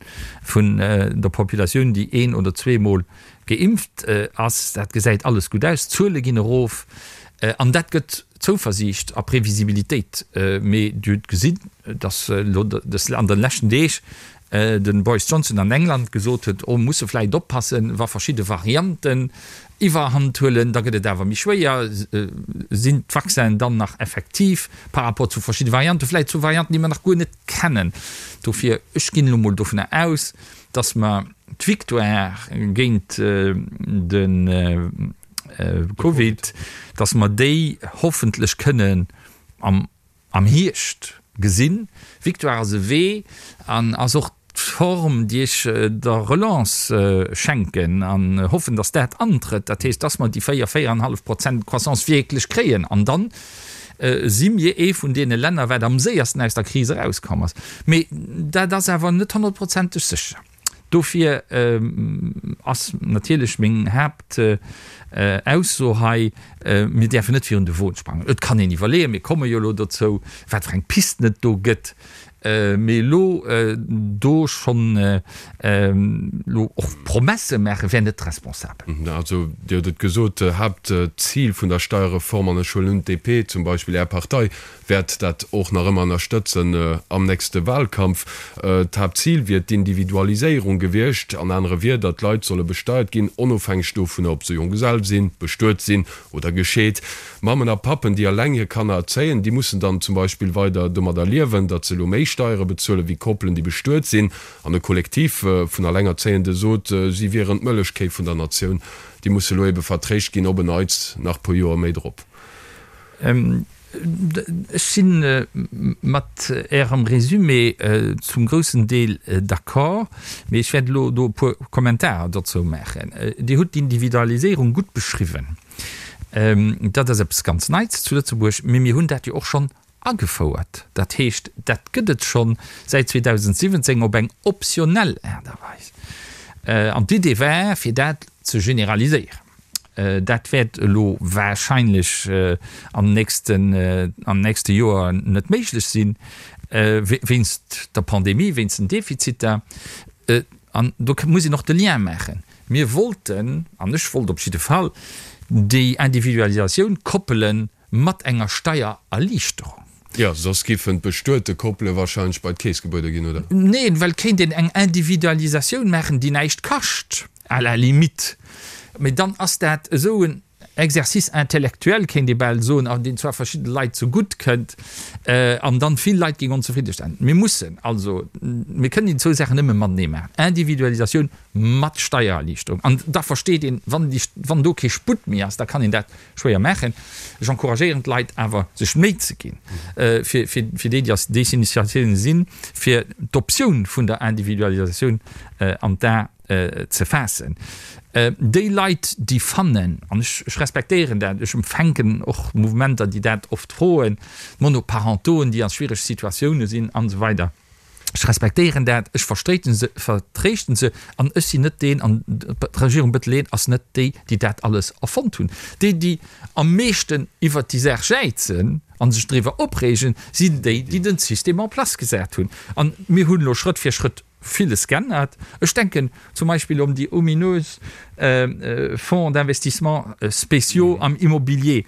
Speaker 4: der Populatioun, déi een oder zweemol geimpft ass. Dat gesäit alles gutt aus, d'Zuele ginn erof an dat gëtt. Zouversiicht a Previsibilitéit. Mee Dir hutt gesinn, datt elo an de leschten Deeg de Boris Johnson an England gesot huet, oh, musse vläicht oppassen, wa verschidde Varianten Iwwerhand huelen, da gëtt et awer méi schwéier. Sinn d'Vaccinen dann nach effektiv par rapport zu verschidde Varianten, vläicht zu Varianten, déi mer nach guer net kennen? Dofir, ech ginn elo mol dovunner aus, datt mer d'Victoire géint de Covid, datt mer déi hoffentlech kënnen am am Hierscht gesinn. Victoire ass e Wee an ass och d'Form, déi ech der Relance schenken an hoffen, datt dat antrëtt. Dat heescht, datt mer déi 4, 4,5 Prozent Croissance wierklech kréien. An dann si mir ee vun deene Länner, wat am séiersten aus der Kris erauskomm ass. Mee dat ass awer net honnertprozenteg sécher. Dofir ass natierlech meng Haaptausso hei, Mir däerfen net virun de Won sprangen. Et kann een iwwerleeën, mir komme jo elo dozou, wat fir eng Pisten et do gëtt, mee elo do schonn elo och Promesse maache wär net responsabel.
Speaker 3: Also Dir hutt et gesot, Haaptzil vun der Steierreform, an ech huelen un, d'DP zum Beispill, Är Partei, wäert dat och nach ëmmer ënnerstëtzen am nächste Wahlkampf. D'Haaptzil wier d'Individualiséierung gewiescht, an anere Wierder, d'Leit solle besteiert ginn, onofhängeg dovunner, ob se Jonggesell sinn, bestuet sinn oder gescheet. Mammen a Pappen, déi eleng hir Kanner erzéien, déi mussen dann zum Beispill weider domadder liewen, datt se elo méi Steiere bezuelen, wéi Koppelen, déi bestuet sinn. An e Kollektiv vun Allengerzéiende sot, si wieren d'Mëllechkéi vun der Natioun. Déi musse elo ebe vertréischt ginn, op en Neits nach puer Joer méi drop.
Speaker 4: Ech si mat Ärem Résumé zum groussen Deel d'accord, mee ech wäert elo do e puer Kommentarer dozou maachen. Dir hutt d'Individualiséierung gutt beschriwwen. Dat ass eppes ganz Neits zu Lëtzebuerg, mee mir hunn dat jo och schonn agefouert. Dat heescht, dat gëtt et schonn säit 2017 op eng optionell Aart a Weis. An d'Idee war, fir dat ze generaliséieren. Dat wäert elo wahrscheinlech am nächsten, am nächste Joer net méiglech sinn, wéinst der Pandemie, wéinst den Defiziter. An do muss een och de Lien maachen. Mir wollten, an ech wollt op jidde Fall, déi Individualisatioun koppelen Mat enger Steiererliichterung.
Speaker 3: Jo, soss giffen d'bestuete Koppele wahrscheinlech bei d'Keess gebuede ginn, oder?
Speaker 4: Neen, well et kéint een eng Individualisatioun maachen, déi näischt kascht, à la limite. Mee dann ass dat esou en Exercice intellectuel, kéint ee bal soen, an deen zwar verschidde Leit zegutt kënnt, an dann vill Leit géing onzefridde stellen. Mir mussen also, mir kënnen déi zwou Saachen nëmme matenee maachen, Individualisatioun mat Steiererliichterung. An da versteet een, wann déi, wann do kee Sputt méi ass, da kann een dat schwéier maachen. Ech encouragéieren d'Leit awer, sech Méi ze ginn, fir, fir, fir déi, déi als Desinitiatioun sinn, fir d'Optioun vun der Individualisatioun an d'A ze faassen. Déi Leit, déi fannen, an ech, ech respektéieren dat, ech empfänken och Mouvementer, déi dat oft froen, d'Monoparentoen, déi a schwiereg Situatioune sinn an esou weider, Ech respektéieren dat, ech verstréiten se, vertréischten se an ech sinn net deen, an d'Regierung Bettel ass net déi, déi dat alles erfonnt hunn. Déi, déi am meeschten iwwert déi Saach jäizen a sech driwwer opreegen, sinn déi, déi den System en place gesat hunn. An mir hunn elo Schrëtt fir Schrëtt villes geännert. Ech denken zum Beispill un déi ominös Fonds d'investissement spéciaux am Immobilier.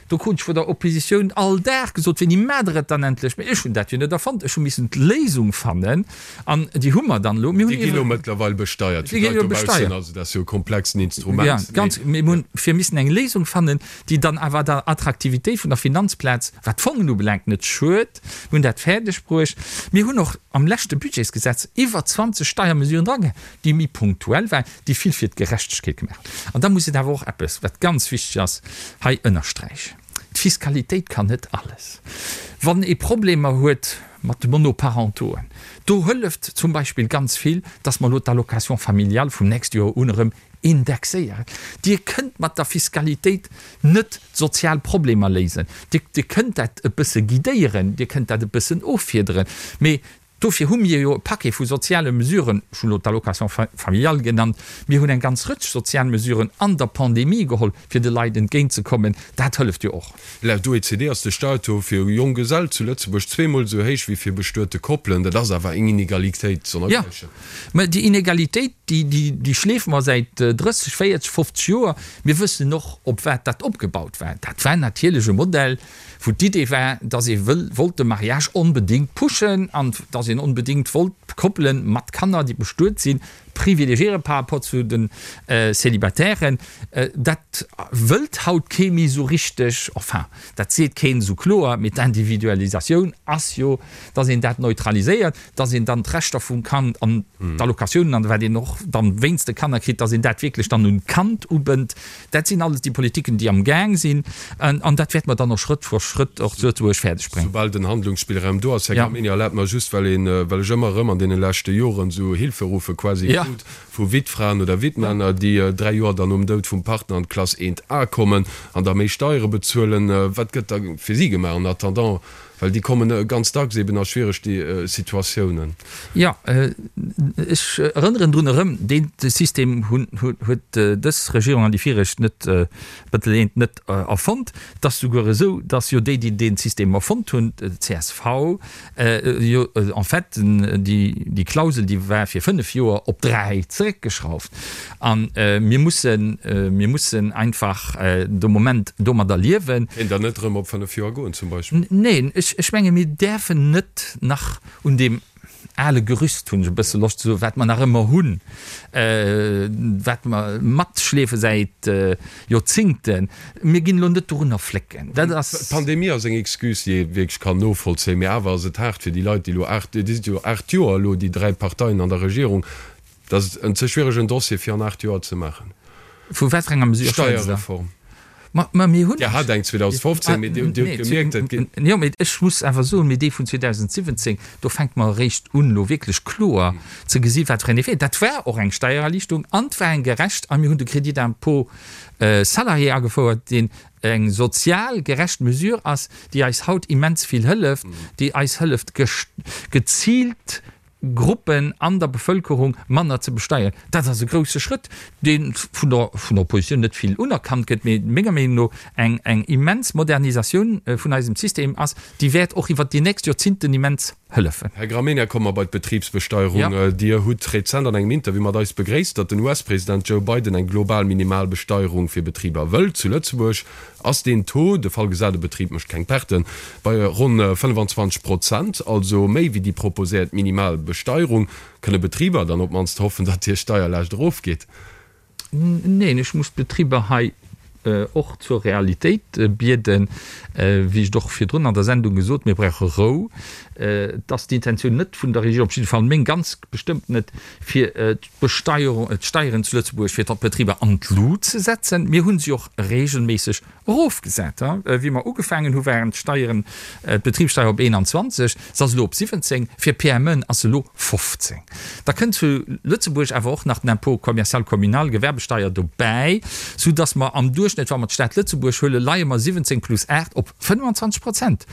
Speaker 4: Do krut ech vun der Oppositioun all Dag gesot, Wéini maacht Der et dann endlech? Mee ech hunn dat jo net erfonnt. Ech hu missen d'Léisung fannen an déi hu mer dann elo.
Speaker 3: Mir hunn Déi gi elo mëttlerweil besteiert fir d'Leit dobaussen. Also dat ass jo e komplexen Instrument.
Speaker 4: Ja, ganz. Mir hunn fir missen eng Léisung fannen, déi dann awer der Attraktivitéit vun der Finanzplaz, wat d'Fongen ubelaangt, net schued. Mir hunn dat fäerdeg bruecht. Mir hunn och am leschte Budgetsgesetz iwwer 20 Steiermesuren dragehält, déi méi punktuell waren, déi vill fir d'Gerechtegkeet gemaach hunn. An da muss een awer och eppes, wat ganz wichteg ass, hei ënnersträichen, D'Fiskalitéit kann net alles. Wann ee Problemer huet mat de Monoparentoen, do hëlleft zum Beispill ganz vill, dass mer elo d'Allocation familiale vum nächste Joer un erëm indexéieren. Dir kënnt mat der Fiskalitéit net d'sozial Problemer léisen. Dir, Dir kënnt dat e bësse guidéieren, Dir kënnt dat e bëssen offiederen, mee. Dofir hu mir jo e Paquet vu soziale Mesuren, ech hunn elo d'Allocation familiale genannt, mir hunn eng ganz Rëtsch sozial Mesuren an der Pandemie geholl, fir de Leit entgéintzekommen. Dat hëlleft jo och.
Speaker 3: Laut OECD ass de Steiertaux fir Jonggesell zu Lëtzebuerg zweemol esou héich wéi fir bestuete Koppelen. Dat ass awer eng Inegalitéit
Speaker 4: sonnergläichen. Jo, mä déi Inegalitéit, déi schleefe mer säit 30, 40, 50 Joer. Mir wëssen och, op wat dat opgebaut war. Dat war natierlech e Modell, wou d'Idee war, dass ee wëll, wollt de Mariage onbedéngt pushen an dass een onbedéngt wollt d'Koppele mat Kanner, déi bestuet sinn, privilegiere par rapport zu de Célibataires. Dat wëllt haut kee méi esou richteg, enfin, dat seet keen esou kloer, mee d'Individualisatioun ass jo, dass een dat neutraliséiert, dass een dann d'Rechter vum Kand an d'Allocatiounen an wat een och dann wéinst de Kanner kritt, dass een dat wierklech dann un d'Kand ubënnt. Dat sinn alles déi Politiken, déi am Gaang sinn an dat wäerte mer dann och Schrëtt fir Schrëtt och zu Lëtzebuerg fäerdeg bréngen.
Speaker 3: Soubal den Handlungsspillraum do ass, Här Gramegna, erlaabt mer just, well een, well ech ëmmer erëm an deene leschte Joren esou Hilferuffe quasi krut vu Wittfraen oder Wittmänner, déi 3 Joer dann nom Doud vum Partner an d'Klass 1A kommen an da méi Steiere bezuelen. Wat gëtt da fir si gemaach en attendant? Well déi kommen ganz dacks eben a schwiereg Situatiounen.
Speaker 4: Jo, ech erënneren drun erëm, dee System huet dës Regierung an déi viregt net, beteleent net erfonnt. Et ass souguer esou, datt jo déi, déi dee System erfonnt hunn, csv, jo en fait déi Klausel, déi war fir 5 Joer, op 3 zeréckgeschrauft. A mir mussen, mir mussen einfach de Moment domadder liewen.
Speaker 3: Kéint Der net erëm op 5 Joer goen zum Beispill?
Speaker 4: Neen, ech menge mir däerfen net nach un deem ale Gerüst, hunn ech e bësse Loscht ze soen, wat mer nach ëmmer hunn, wat mer matschleefe säit Joerzingten, mir ginn elo net dorunner flécken.
Speaker 3: Dat ass. D'Pandemie ass eng Excuse, déi ee wierklech kann novollzéien, mee awer ass et haart fir déi Leit, déi elo 8, déi si jo 8 Joer elo, déi 3 Parteien an der Regierung, Dat ass en ze schwieregen Dossier fir an 8 Joer ze maachen.
Speaker 4: Vu wat fir enger Mesure
Speaker 3: schwätzt Der? Steierreform. Ma, ma mir hunn. Dir hat eng 2015, mee Dir hutt gemierkt,
Speaker 4: et geet. Jo, mee ech muss awer soen, mee déi vun 2017, do fänke mer eréischt un, elo wierklech kloer ze gesi wat fir en Effet. Dat war och eng Steiererliichtung an et war eng gerecht a mir hunn de Crédit d'impôt salarié agefouert, deen eng sozial gerecht Mesure ass, déi eis haut immens vill hëlleft, déi eis hëlleft geziilt Gruppen an der Bevëlkerung manner ze besteieren. Dat ass e grousse Schrëtt, dee vun der vun der Oppositioun net vill unerkannt gëtt, mee menger Meenung no eng eng immens Modernisatioun vun eisem System ass, déi wäert och iwwert déi nächst Joerzinten immens hëllefen.
Speaker 3: Här Gramegna, komme mer bei d'Betribsbesteierung. Dir hutt rezent an engem Interview mat eis begréisst, datt den US-President Joe Biden eng global Minimalbesteierung fir Betriber wëllt. Zu Lëtzebuerg Ass deen Taux, de Fall gesat e Betrib mécht keng Perten, bei ronn 25 Prozent, also méi wéi déi proposéiert minimal Besteierung, kënne Betriber dann op d'mannst hoffen, datt hir Steierlaascht erofgeet?
Speaker 4: Neen, ech muss d'Betriber hei och zur Realitéit bieden. Wéi ech et och virdrun an der Sendung gesot, mir brauche Rou. Et ass d'Intentioun net vun der Regierung, op jidde Fall meng ganz bestëmmt net, fir d'Besteierung, d'Steieren zu Lëtzebuerg fir d'Betriber an d'Lut ze setzen. Mir hu se och regelméisseg erofgesat. Wéi mer ugefaangen hu waren d'Steieren, d'Betribssteier op 21, se ass elo op 17, fir PMEen ass se elo 15. Da kënnt zu Lëtzebuerg awer och nach den Impôt commercial communal, Gewerbesteier, dobäi, soudass mer am Duerchschnëtt, wa mer d'Stad Lëtzebuerg huelen, leie mer 17 plus 8 op 25 Prozent.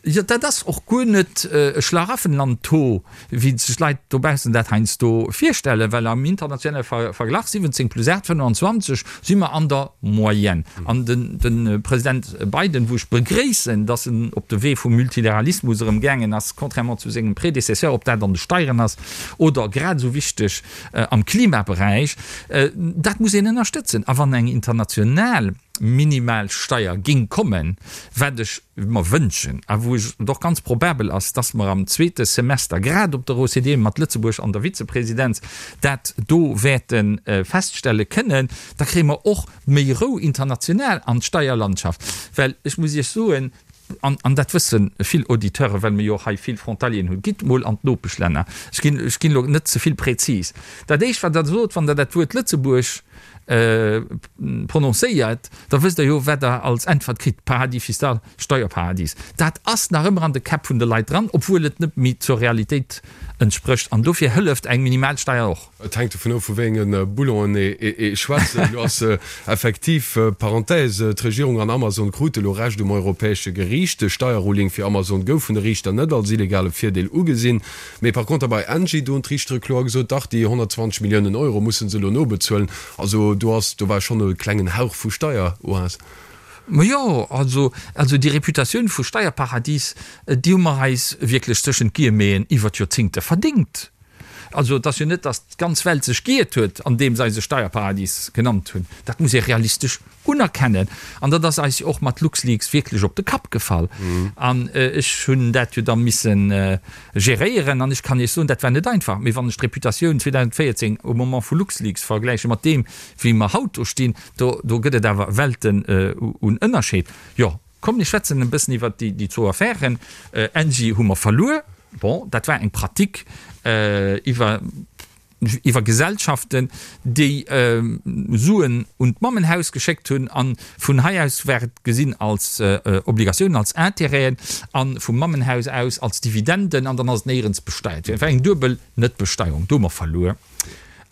Speaker 4: Jo, dat ass och guer net e Schlaraffenland-Taux, wéi sech d'Leit dobaussen dat heiansdo virstellen, well am internationale Verglach, 17 plus 8, 25, si mer an der Moyenne. An de President Biden, wou ech begréissen, datt en op de Wee vum Multilateralismus erëm gaangen ass, contrairement zu sengem Prédécesseur, ob dat an de Steieren ass oder, grad esou wichteg, am Klimaberäich, dat muss een ënnerstëtzen. A wann eng international Minimalsteier géing kommen, wat ech mer wënschen a wou et och ganz probabel ass, dass mer am zweete Semester grad op der OCDE mat Lëtzebuerg an der Vizepresidenz dat do wäerte feststelle kënnen, da kréie mer och méi Rou international an d'Steierlandschaft. Well ech muss Iech soen, an dat wësse vill Auditeuren, well mer jo och hei vill Frontalieren hunn, Gitt mol an d'Nopeschlänner, ech ginn ech ginn elo net ze vill prezis, dat Éischt wat Der sot, wann Der dat Wuert Lëtzebuerg. prononcéiert, da wësst Der jo, wat Der als Äntwert kritt, Paradis fiscal, Steierparadis. Dat ass nach ëmmer an de Käpp vun de Leit dran, obwuel et net méi zur Realitéit entsprécht. An dofir hëlleft eng Minimalsteier och.
Speaker 3: Et hänkt dovun of, vu wéi enge Boulonen ee schwätzt. Elo ass effektiv, Parenthèse, d'Regierung an Amazon krute elo Recht um europäesche Geriicht. De Steierruling fir Amazon gouf vun de Riichter net als illegale Virdeel ugesinn. Mee par conter bei Engie, do hunn d'Riichtere kloer gesot, dach, déi 120 Milliounen Euro musse se elo nobezuelen. Also do ass, do war schonn e klengen Hauch vu Steieroas.
Speaker 4: Majo, also, also déi Reputatioun vu Steierparadis, déi hu mer eis wierklech tëschent d'Guillemeten iwwer d'Joerzingte verdéngt. Also et ass jo net, datt d'ganz Welt sech giiert huet, andeem se eis e Steierparadis genannt hunn. Dat muss ee realistesch unerkennen. An dat ass eis jo och mat LuxLeaks wierklech op de Kapp gefall. An ech hunn dat jo da misse geréieren. An ech kann Iech soen, dat war net einfach. Mee wann ech d'Reputatioun 2014 um Moment vu LuxLeaks vergläiche mat deem, wéi mer haut do stinn, do do gëtt et awer Welten un Ënnerscheed. Jo, komm mir schwätzen e bëssen iwwert déi zwou Affären. Engie hu mer verluer. Bon, dat war eng Pratique iwwer iwwer Gesellschaften, déi Suen un d'Mammenhaus geschéckt hunn an vun hei aus war et gesinn als Obligatiounen, als Intérêten a vum Mammenhaus aus als Dividenden an dann ass et néierens besteiert ginn. Et war eng duebel Netbesteierung. Do hu mer verluer.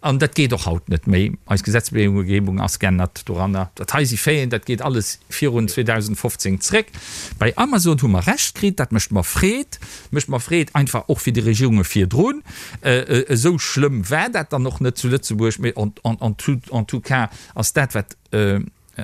Speaker 4: An dat geet och haut net méi. Eis Gesetzgebung ass geännert doranner. Dat hei si Faiten, dat geet alles virun 2015 zréck. Bei Amazon hu mer Recht kritt, dat mécht mer Freed. Mécht mer Freed einfach och fir déi Regierunge virdrun. Esou schlëmm war dat dann och net zu Lëtzebuerg, mee en tout cas ass dat, wat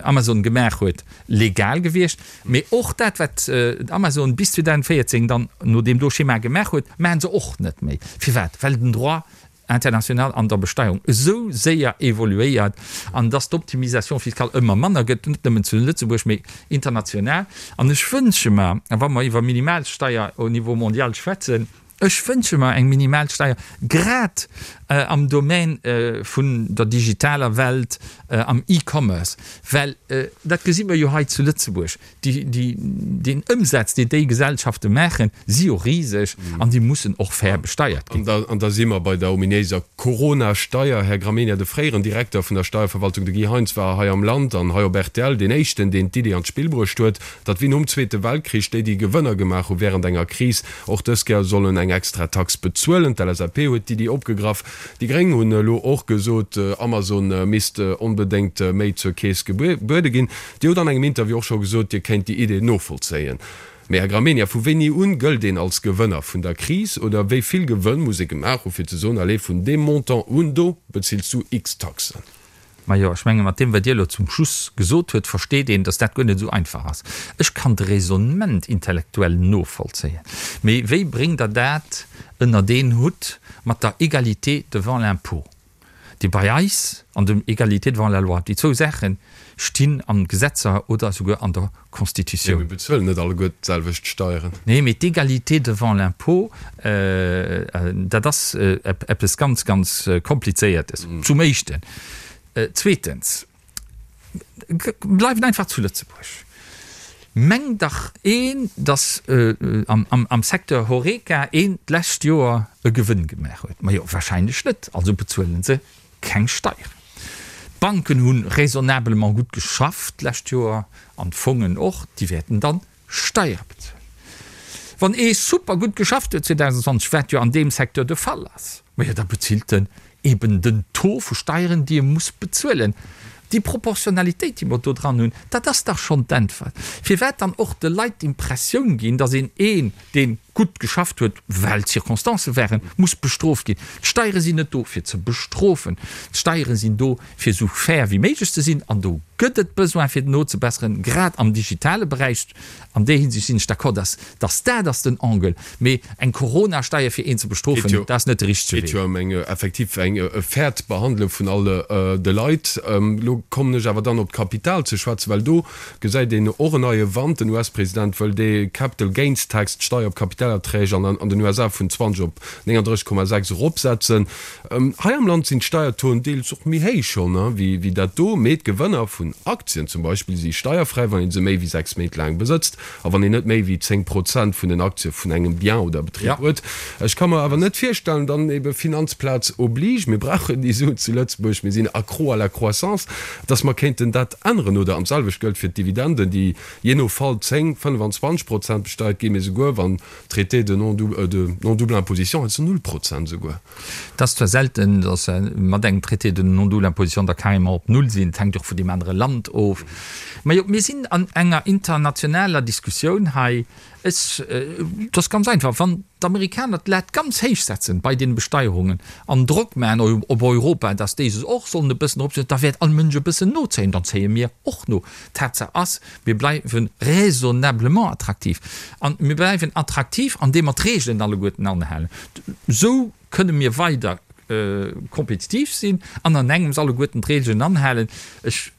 Speaker 4: Amazon gemaach huet, legal gewiescht. Mee och dat, wat Amazon bis 2014 dann no deem do Schema gemaach huet, maache se och net méi. Firwat? Well den Droit international an der Besteierung esou séier evoluéiert an dass d'Optimisation fiscale ëmmer manner gëtt, net nëmmen zu Lëtzebuerg, mee international. An ech wënsche mer, a wa mer iwwer Minimalsteier au niveau mondial schwätzen, ech wënsche mer eng Minimalsteier grad am Domän vun der digitaler Welt, am E-Commerce, well dat gesi mer jo hei zu Lëtzebuerg, Deen Ëmsaz, deen déi Gesellschafte maachen, si jo riseg an déi mussen och fair besteiert
Speaker 3: ginn. An da si mer bei der ominéiser Corona-Steier. Här Gramegna, de fréieren Direkter vun der Steierverwaltung, de Guy Heintz, war hei am Land an hei op rtl deen éischten, deen d'Idee an d'Spill bruecht huet, datt wéi nom Zweete Weltkrich déi, déi Gewënner gemaach hu wärend enger Kris, och dës Kéier sollen eng extra Tax bezuelen. D'LSAP huet d'Iddi opgegraff. Déi Gréng hunn elo och gesot, Amazon misst onbedéngt méi zur Keess gebuede ginn. Dir hutt an engem Interview och scho gesot, Dir kéint déi Idee novollzéien. Mee, Här Gramegna, vu wéini un gëllt een als Gewënner vun der Kris? Oder wéi vill Gewënn muss ee gemaach hu fir ze soen, allez, vun deem Montant un do bezills du X Taxen?
Speaker 4: Majo, ech menge mat deem, wat Dir elo zum Schluss gesot huet, versteet een, datt dat guer net esou einfach ass. Ech kann de Raisonnement intellektuell novollzéien, mee wéi bréngt Der dat ënnert een Hutt mat der Égalité devant l'impôt? déi bei eis an dem Égalité devant la loi, déi zwou Saache stinn an Gesetzer oder esouguer an der Constitutioun.
Speaker 3: Mee mir bezuelen net alleguer d'selwecht Steieren.
Speaker 4: Nee, mee d'Égalité devant l'impôt, dat ass eppes ganz, ganz Komplizéiertes, zum Éischten. Zweetens, bleiwen einfach zu Lëtzebuerg. Mengt dach een, datt am Secteur Horeca een d'lescht Joer e Gewënn gemaach huet? Majo, wahrscheinlech net, also bezuelen se keng Steieren. D'Banken hu raisonnablement gutt geschafft d'lescht Joer an d'Fongen och, déi wäerten dann Steiere bezuelen. Wann ee super gutt geschafft huet 2020, wat jo an deem Secteur de Fall ass, majo da bezilt en eben den Taux vu Steieren, déi e muss bezuelen. Déi Proportionalitéit, déi mer do dran hunn, dat ass dach schonn d'Äntwert. Firwat dann och de Leit d'Impressioun ginn, datt een een, dee gutt geschafft huet, well d'Circonstancë waren, muss bestrooft ginn? D'Steiere sinn net do, fir ze bestrofen. D'Steiere sinn do, fir esou fair wéi méiglech ze sinn. An do gëtt et Besoin, fir nozebesseren, grad am digitale Beräich. An där Hinsicht sinn ech d'accord, dass, dass dat ass den Angle. Mee eng Corona-Steier fir een ze bestrofen, dat ass net de richtege
Speaker 3: Wee. Et geet jo ëm eng effektiv eng e fairt Behandlung vun all de Leit. Elo kommen ech awer dann op d'Kapital ze schwätzen, well do gesäit een och en neie Wand. Den US-President wëll dee Capital Gains Tax, d'Steier op Kapital. Kapitalerträg an an den USA vun 20 op 39,6 eropsetzen. Hei am Land sinn d'Steiertauxen deels och méi héich schonn wéi dat do, mee d'Gewënner vun Aktien zum Beispill si steierfräi, wann ee se méi wéi 6 Méint laang besëtzt a wann een net méi wéi 10 Prozent vun den Aktie vun engem Bien oder Betrib huet. Ech ka mer awer net virstellen, dann ebe Finanzplaz oblige, mir brauchen déi Suen zu Lëtzebuerg, mir sinn accro à la croissance, dass mer kéinten dat änneren. Oder an d'selwecht gëllt fir d'Dividenden, déi jee no Fall 10, 25 Prozent besteiert ginn, mee souguer wann Traité de non-double imposition, heiansdo null Prozent esouguer.
Speaker 4: Et ass zwar selten, datt se mat engem Traité de non-double imposition da carrément op null sinn, et hänkt och vun deem anere Land of. Mä jo, mir sinn an enger internationaler Diskussioun hei. Ech, et ass ganz einfach, Wann d'Amerikaner d'Lat ganz héich setzen bei deene Besteierungen an Drock maachen op Europa, datt déi se och sollen e bëssen eropsetzen, da wäert all Mënsch e bëssen nozéien, dann zéie mir och no. Tatsaach ass, Mir bleiwe raisonnablement attraktiv. A mir bleiwen attraktiv, andeem mer d'Regeln alleguerten anhalen. Esou kënne mir weider kompetitiv sinn an an engems alleguerten d'Regeln anhalen. Ech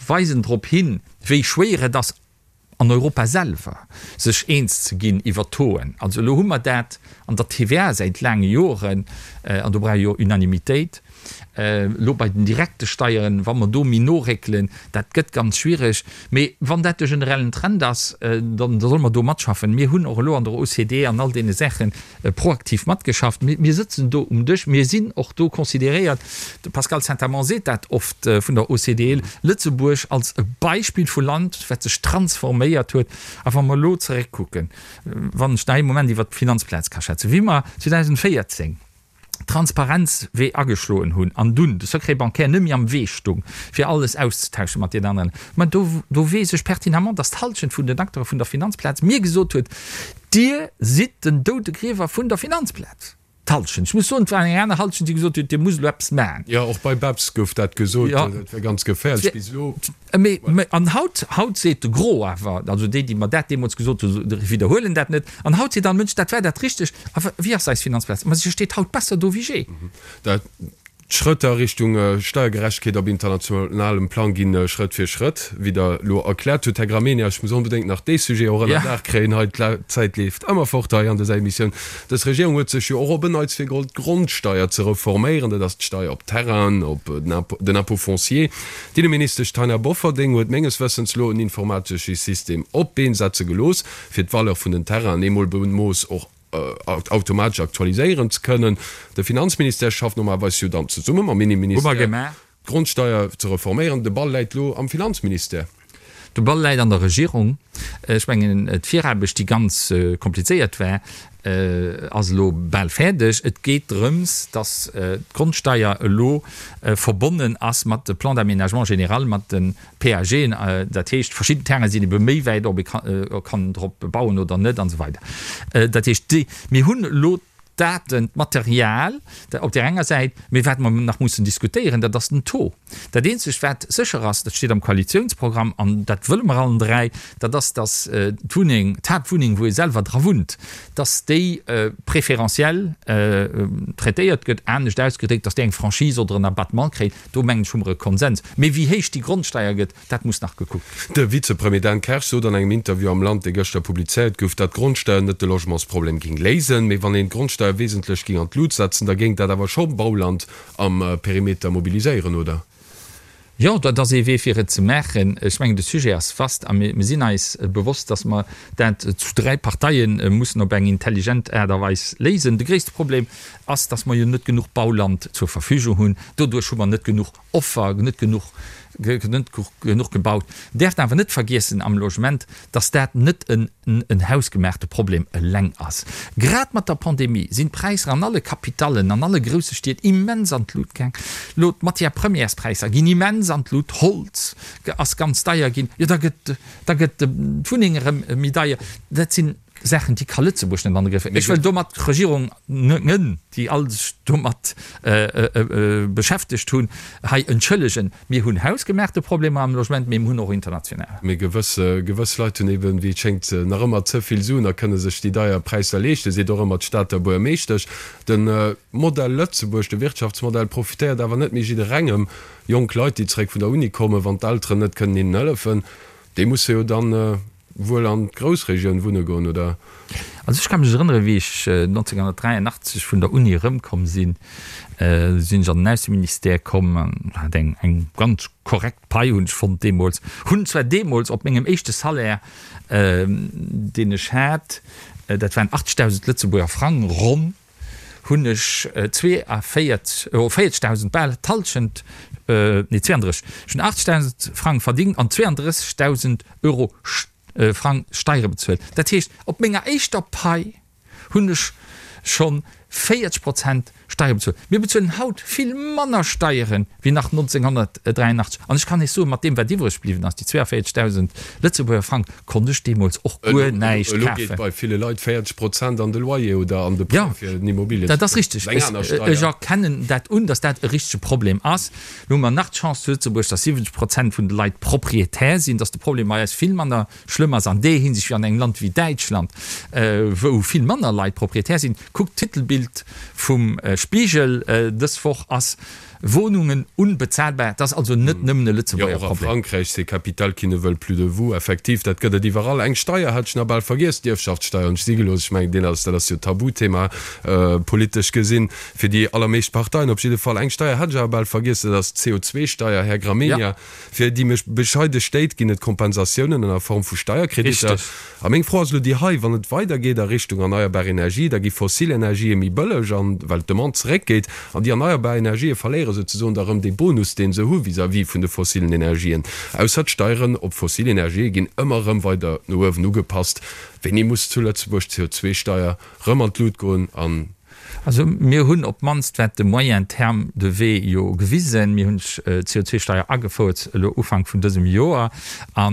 Speaker 4: weisen drop hin, wéi schwéier et ass, an Europa selwer sech eens ze ginn iwwer d'Tauxen. Also elo hu mer dat an der TVA säit laange Joren, an do brauch ee jo Unanimitéit. Elo bei den direkte Steieren, wa mer do méi noréckelen, dat gëtt ganz schwierig. Mee wann dat de generellen Trend ass, da solle mer do matschaffen. Mir hunn och elo an der OCDE an all deene Saache proaktiv matgeschafft. Mir sëtzen do um Dësch, mir sinn och do consideréiert, de Pascal Saint-Amand seet dat oft vun der OCDE, Lëtzebuerg als e Beispill vu Land, wat sech transforméiert huet. A wa mer elo zeréckkucken, wann ech nach ee Moment iwwert d'Finanzplaz ka schwätzen, wéi mer 2014, Transparenzwee ageschloen hunn an dunn de Secret bancaire net méi am Wee stung, fir alles auszetauschen mat deenen aneren, ma do, do weess ech pertinemment, dass d'Halschent vun den Acteure vun der Finanzplaz mir gesot huet, Dir sidd den Doudegriewer vun der Finanzplaz. D'Halschent. Ech muss soen, et war eng aner Halschent, déi gesot huet, Dir musst elo eppes maachen.
Speaker 3: Jo, och bei BEPS gouf dat gesot, dat wär ganz geféierlech bis elo.
Speaker 4: Mee, an haut, haut seet de Gros awer, also déi, déi mer dat deemools gesot hunn, widderhuelen dat net, an haut seet all Mënsch, dat war dat Richtegt. A wéi ass eis Finanzplaz? Ma se steet haut besser do wéi jee.
Speaker 3: Dat, d'Schrëtt a Richtung Steiergerechtegkeet op internationalem Plang ginn Schrëtt fir Schrëtt, wéi Der elo erkläert hutt, Här Gramegna. Ech muss onbedéngt nach dee Sujet och ënner Daach kréien hei. D'Zäit leeft ëmmer fort hei an dëser Emissioun. Dës Regierung huet sech jo och op en Neits virgeholl, d'Grondsteier ze reforméieren. Dat ass d'Steier op Terrainen, op den Impôt foncier. D'Inneministesch Taina Bofferding huet menges Wëssens lo en informatesche System op d'Been setze gelooss, fir d'Valeur vun den Terrainen eemol bemooss och automatesch aktualiséieren ze kënnen. De Finanzministère schafft normalerweis jo dann zesumme mam Inneministère, d'Grondsteier ze reforméieren. De Ball läit lo am Finanzministère.
Speaker 4: De Ball läit an der Regierung. Ech mengen, d'Viraarbecht, déi ganz komplizéiert war, ass elo bal fäerdeg. Et geet drëms, dass d'Grondsteier elo verbonnen ass mat de Plan d'aménagement général, mat de PAGen. Dat heescht, verschidden Terrainen sinn ebe méi wäit, ob ee kann drop bauen oder net an esou weider. Dat heescht, mir hunn elo d'Daten, d'Material op där enger Säit, mee wat mer nach mussen diskutéieren, dat ass den Taux. Dat eenzegt wat sécher ass, dat steet am Koalitiounsprogramm an dat wëlle mer allen 3, dat ass, datt d'Wunneng, d'Haaptwunneng, wou ee selwer dra wunnt, datt déi préférentiel traitéiert gëtt, anescht ausgedréckt, datt déi eng Franchise oder en Abattement kréit. Do mengen ech hu mer e Konsens. Mee wéi héich déi Grondsteier gëtt, dat muss nach gekuckt
Speaker 3: ginn. De Vizepremier Dan Kersch sot an engem Interview am Land, dee gëschter publizéiert gouf, datt d'Grondsteier net de Logementsproblem géing léisen. Mee wann een d'Grondsteier wesentlech géing an d'Lut setzen, da géing dat awer scho Bauland am Perimeter mobiliséieren, oder?
Speaker 4: Jo, dat ass ee Wee fir et ze maachen. Ech mengen, de Sujet ass vast a mir sinn eis bewosst, datt mer dat zu 3 Parteie mussen op eng intelligent Aart a Weis léisen. De gréisste Problem ass, datt mer jo net genuch Bauland zur Verfügung hunn. Doduerch hu mer net genuch Offer, net genuch, net genuch gebaut. Däerft awer net vergiessen am Logement, dass dat net en en hausgemaachte Problem eleng ass. Grad mat der Pandemie sinn d'Präisser an alle Capitallen, an alle grousse Stied immens an d'Lut gaang. Elo d'Matière-premières-Präisser ginn immens an d'Lut, Holz ass ganz deier ginn, jo da gëtt da gëtt d'Wunneng erëm méi deier. Dat sinn Saachen, déi ka Lëtzebuerg net an de Grëff kréien. Ech wëll domat d'Regierung, ngen, déi all sech domat beschäftegt hunn, hei entschëllegen. Mir hunn hausgemaachte Problemer am Logement, mee mir hunn och international.
Speaker 3: Mee gewëss, gewëss Leit hunn eben, wéi et schéngt, nach ëmmer ze vill Suen a kënne sech déi deier Präisser leeschten, seet och ëmmer d'Stater Buergermeeschtesch. De Modell Lëtzebuerg, de Wirtschaftsmodell profitéiert awer net méi jidderengem. Jonk Leit, déi zeréck vun der Uni kommen, wann d'Elteren net kënnen hinnen hëllefen, déi musse jo dann, Wuel an d'Groussregioun wunne goen, oder?
Speaker 4: Also ech ka mech erënneren, wéi ech 1983 vun der Uni erëmkomm sinn, sinn ech an den Ausseministère komm an hat eng eng ganz korrekt Pai, hunn ech fonnt deemools. Hunn zwar deemools op mengem éischte Salaire, deen ech hat, dat waren 80.000 Lëtzebuerger Frang ronn, hunn ech 42, oh 40.000, bal d'Hallschent, nee 32, ech hunn 80.000 Frang verdingt an 32.000 Euro Frang Steiere bezuelt. Dat heescht, op menger éischter Pai hunn ech scho 40 Prozent Steiere bezuelt. Mir bezuelen haut vill manner Steiere wéi nach 1983. An ech kann Iech soen, mat deem wat iwwreg bliwwen ass, déi 42.000 Lëtzebuerger Frang, konnt ech deemools och guer näischt
Speaker 3: kafen. Elo geet bei ville Leit 40 Prozent an de Loyer oder an de Prêt fir en Immobilie
Speaker 4: ze kafen. Dat ass richteg. Ech erkennen dat un, datt dat e richtege Problem ass. Lo hu mer nach d'Chance zu Lëtzebuerg, datt 70 Prozent vun de Leit Proprietär sinn, datt de Problem bei eis vill manner schlëmm ass an där Hinsicht wéi an engem Land wéi Däitschland, wou vill manner Leit Proprietär sinn. Kuckt d'Titelbild vum Spiegel dës Woch ass, Wohnungen unbezahlbar. Dat ass also net nëmmen e Lëtzebuerger
Speaker 3: Problem. Jo, och a Frankräich, c'est capital qui ne veulent plus de vous. Effektiv, dat gëtt et iwwerall. Eng Steier hat ech nach bal vergiess, d'Ierfschaftssteier hunn ech si gelooss. Ech mengen, deen ass, dat ass jo Tabuthema politesch gesinn. Fir déi allermeescht Parteien op jidde Fall. Eng Steier hat ech awer bal vergiess, dat ass d'CO2-Steier, Här Gramegna. Fir déi méi bescheide Stéit ginn et Kompensatiounen an der Form vu Steierkreditter. A meng Fro ass elo déi hei, Wann et weidergeet a Richtung erneierbar Energie, da gi fossil Energië méi bëlleg, an well d'Demande zeréckgeet, an déi erneierbar Energië verléiere souzesoen da rëm dee Bonus, dee se hu vis-à-vis vun de fossilen Energien. Ausser d'Steieren op fossil Energië ginn ëmmer erëm weider no uewen ugepasst. Wéini muss zu Lëtzebuerg d'CO2-Steier rëm an d'Lut goen an
Speaker 4: Also mir hunn op d'mannst wat de moyen terme de wee jo gewisen. Mir hunn d'CO2-Steier agefouert elo Ufank vun dësem Joer a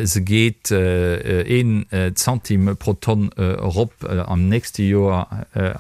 Speaker 4: se geet een Centime pro Tonn erop am nächste Joer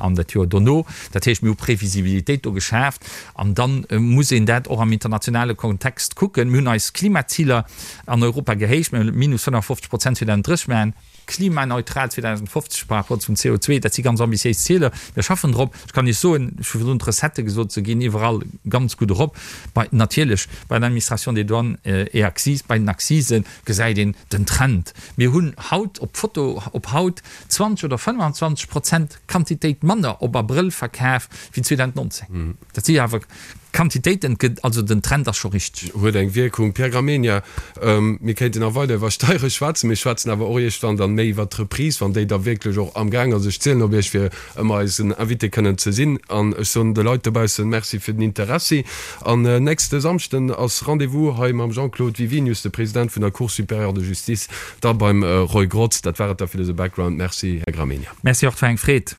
Speaker 4: an dat Joer dono. Dat heescht, mir hu Previsibilitéit do geschaaft an da muss een dat och am internationale Kontext kucken. Mir hunn eis Klimaziler an Europa gehéicht, mir hunn minus 55 Prozent 2030 maachen. Klimaneutral 2050 par rapport zum CO2, dat si ganz ambitiéis Zieler. Mir schaffen drop. Ech kann Iech soen, ech hu virdrun d'Recettë gesot, se ginn iwwerall ganz gutt erop. Bei, natierlech bei der Administration des douanes et accises, bei den Accisen gesäit een den Trend. Mir hunn haut op d'Foto op haut 20 oder 25 Prozent Quantitéit manner op Abrëll verkaf wéi 2019. Dat si awer Quantitéiten, also den Trend ass scho richteg.
Speaker 3: Huet eng Wierkung. Pierre Gramegna, Mir kéinten nach weider iwwer Steiere schwätzen. Mir schwätzen awer och iergendwann dann méi iwwert d'Reprise, wann déi da wierklech och amgaang ass. Ech zielen op Iech, fir ëmmer eisen Invité kënnen ze sinn. An ech soen de Leit dobaussen Merci fir den Interessi. An nächste Samschden ass Rendez-vous hei mam Jean-Claude Wiwinius, de President vun der Cour supérieure de justice, da beim Roy Grotz. Dat war et da fir dëse Background. Merci, Här Gramegna.
Speaker 4: Merci och, et war eng Freed.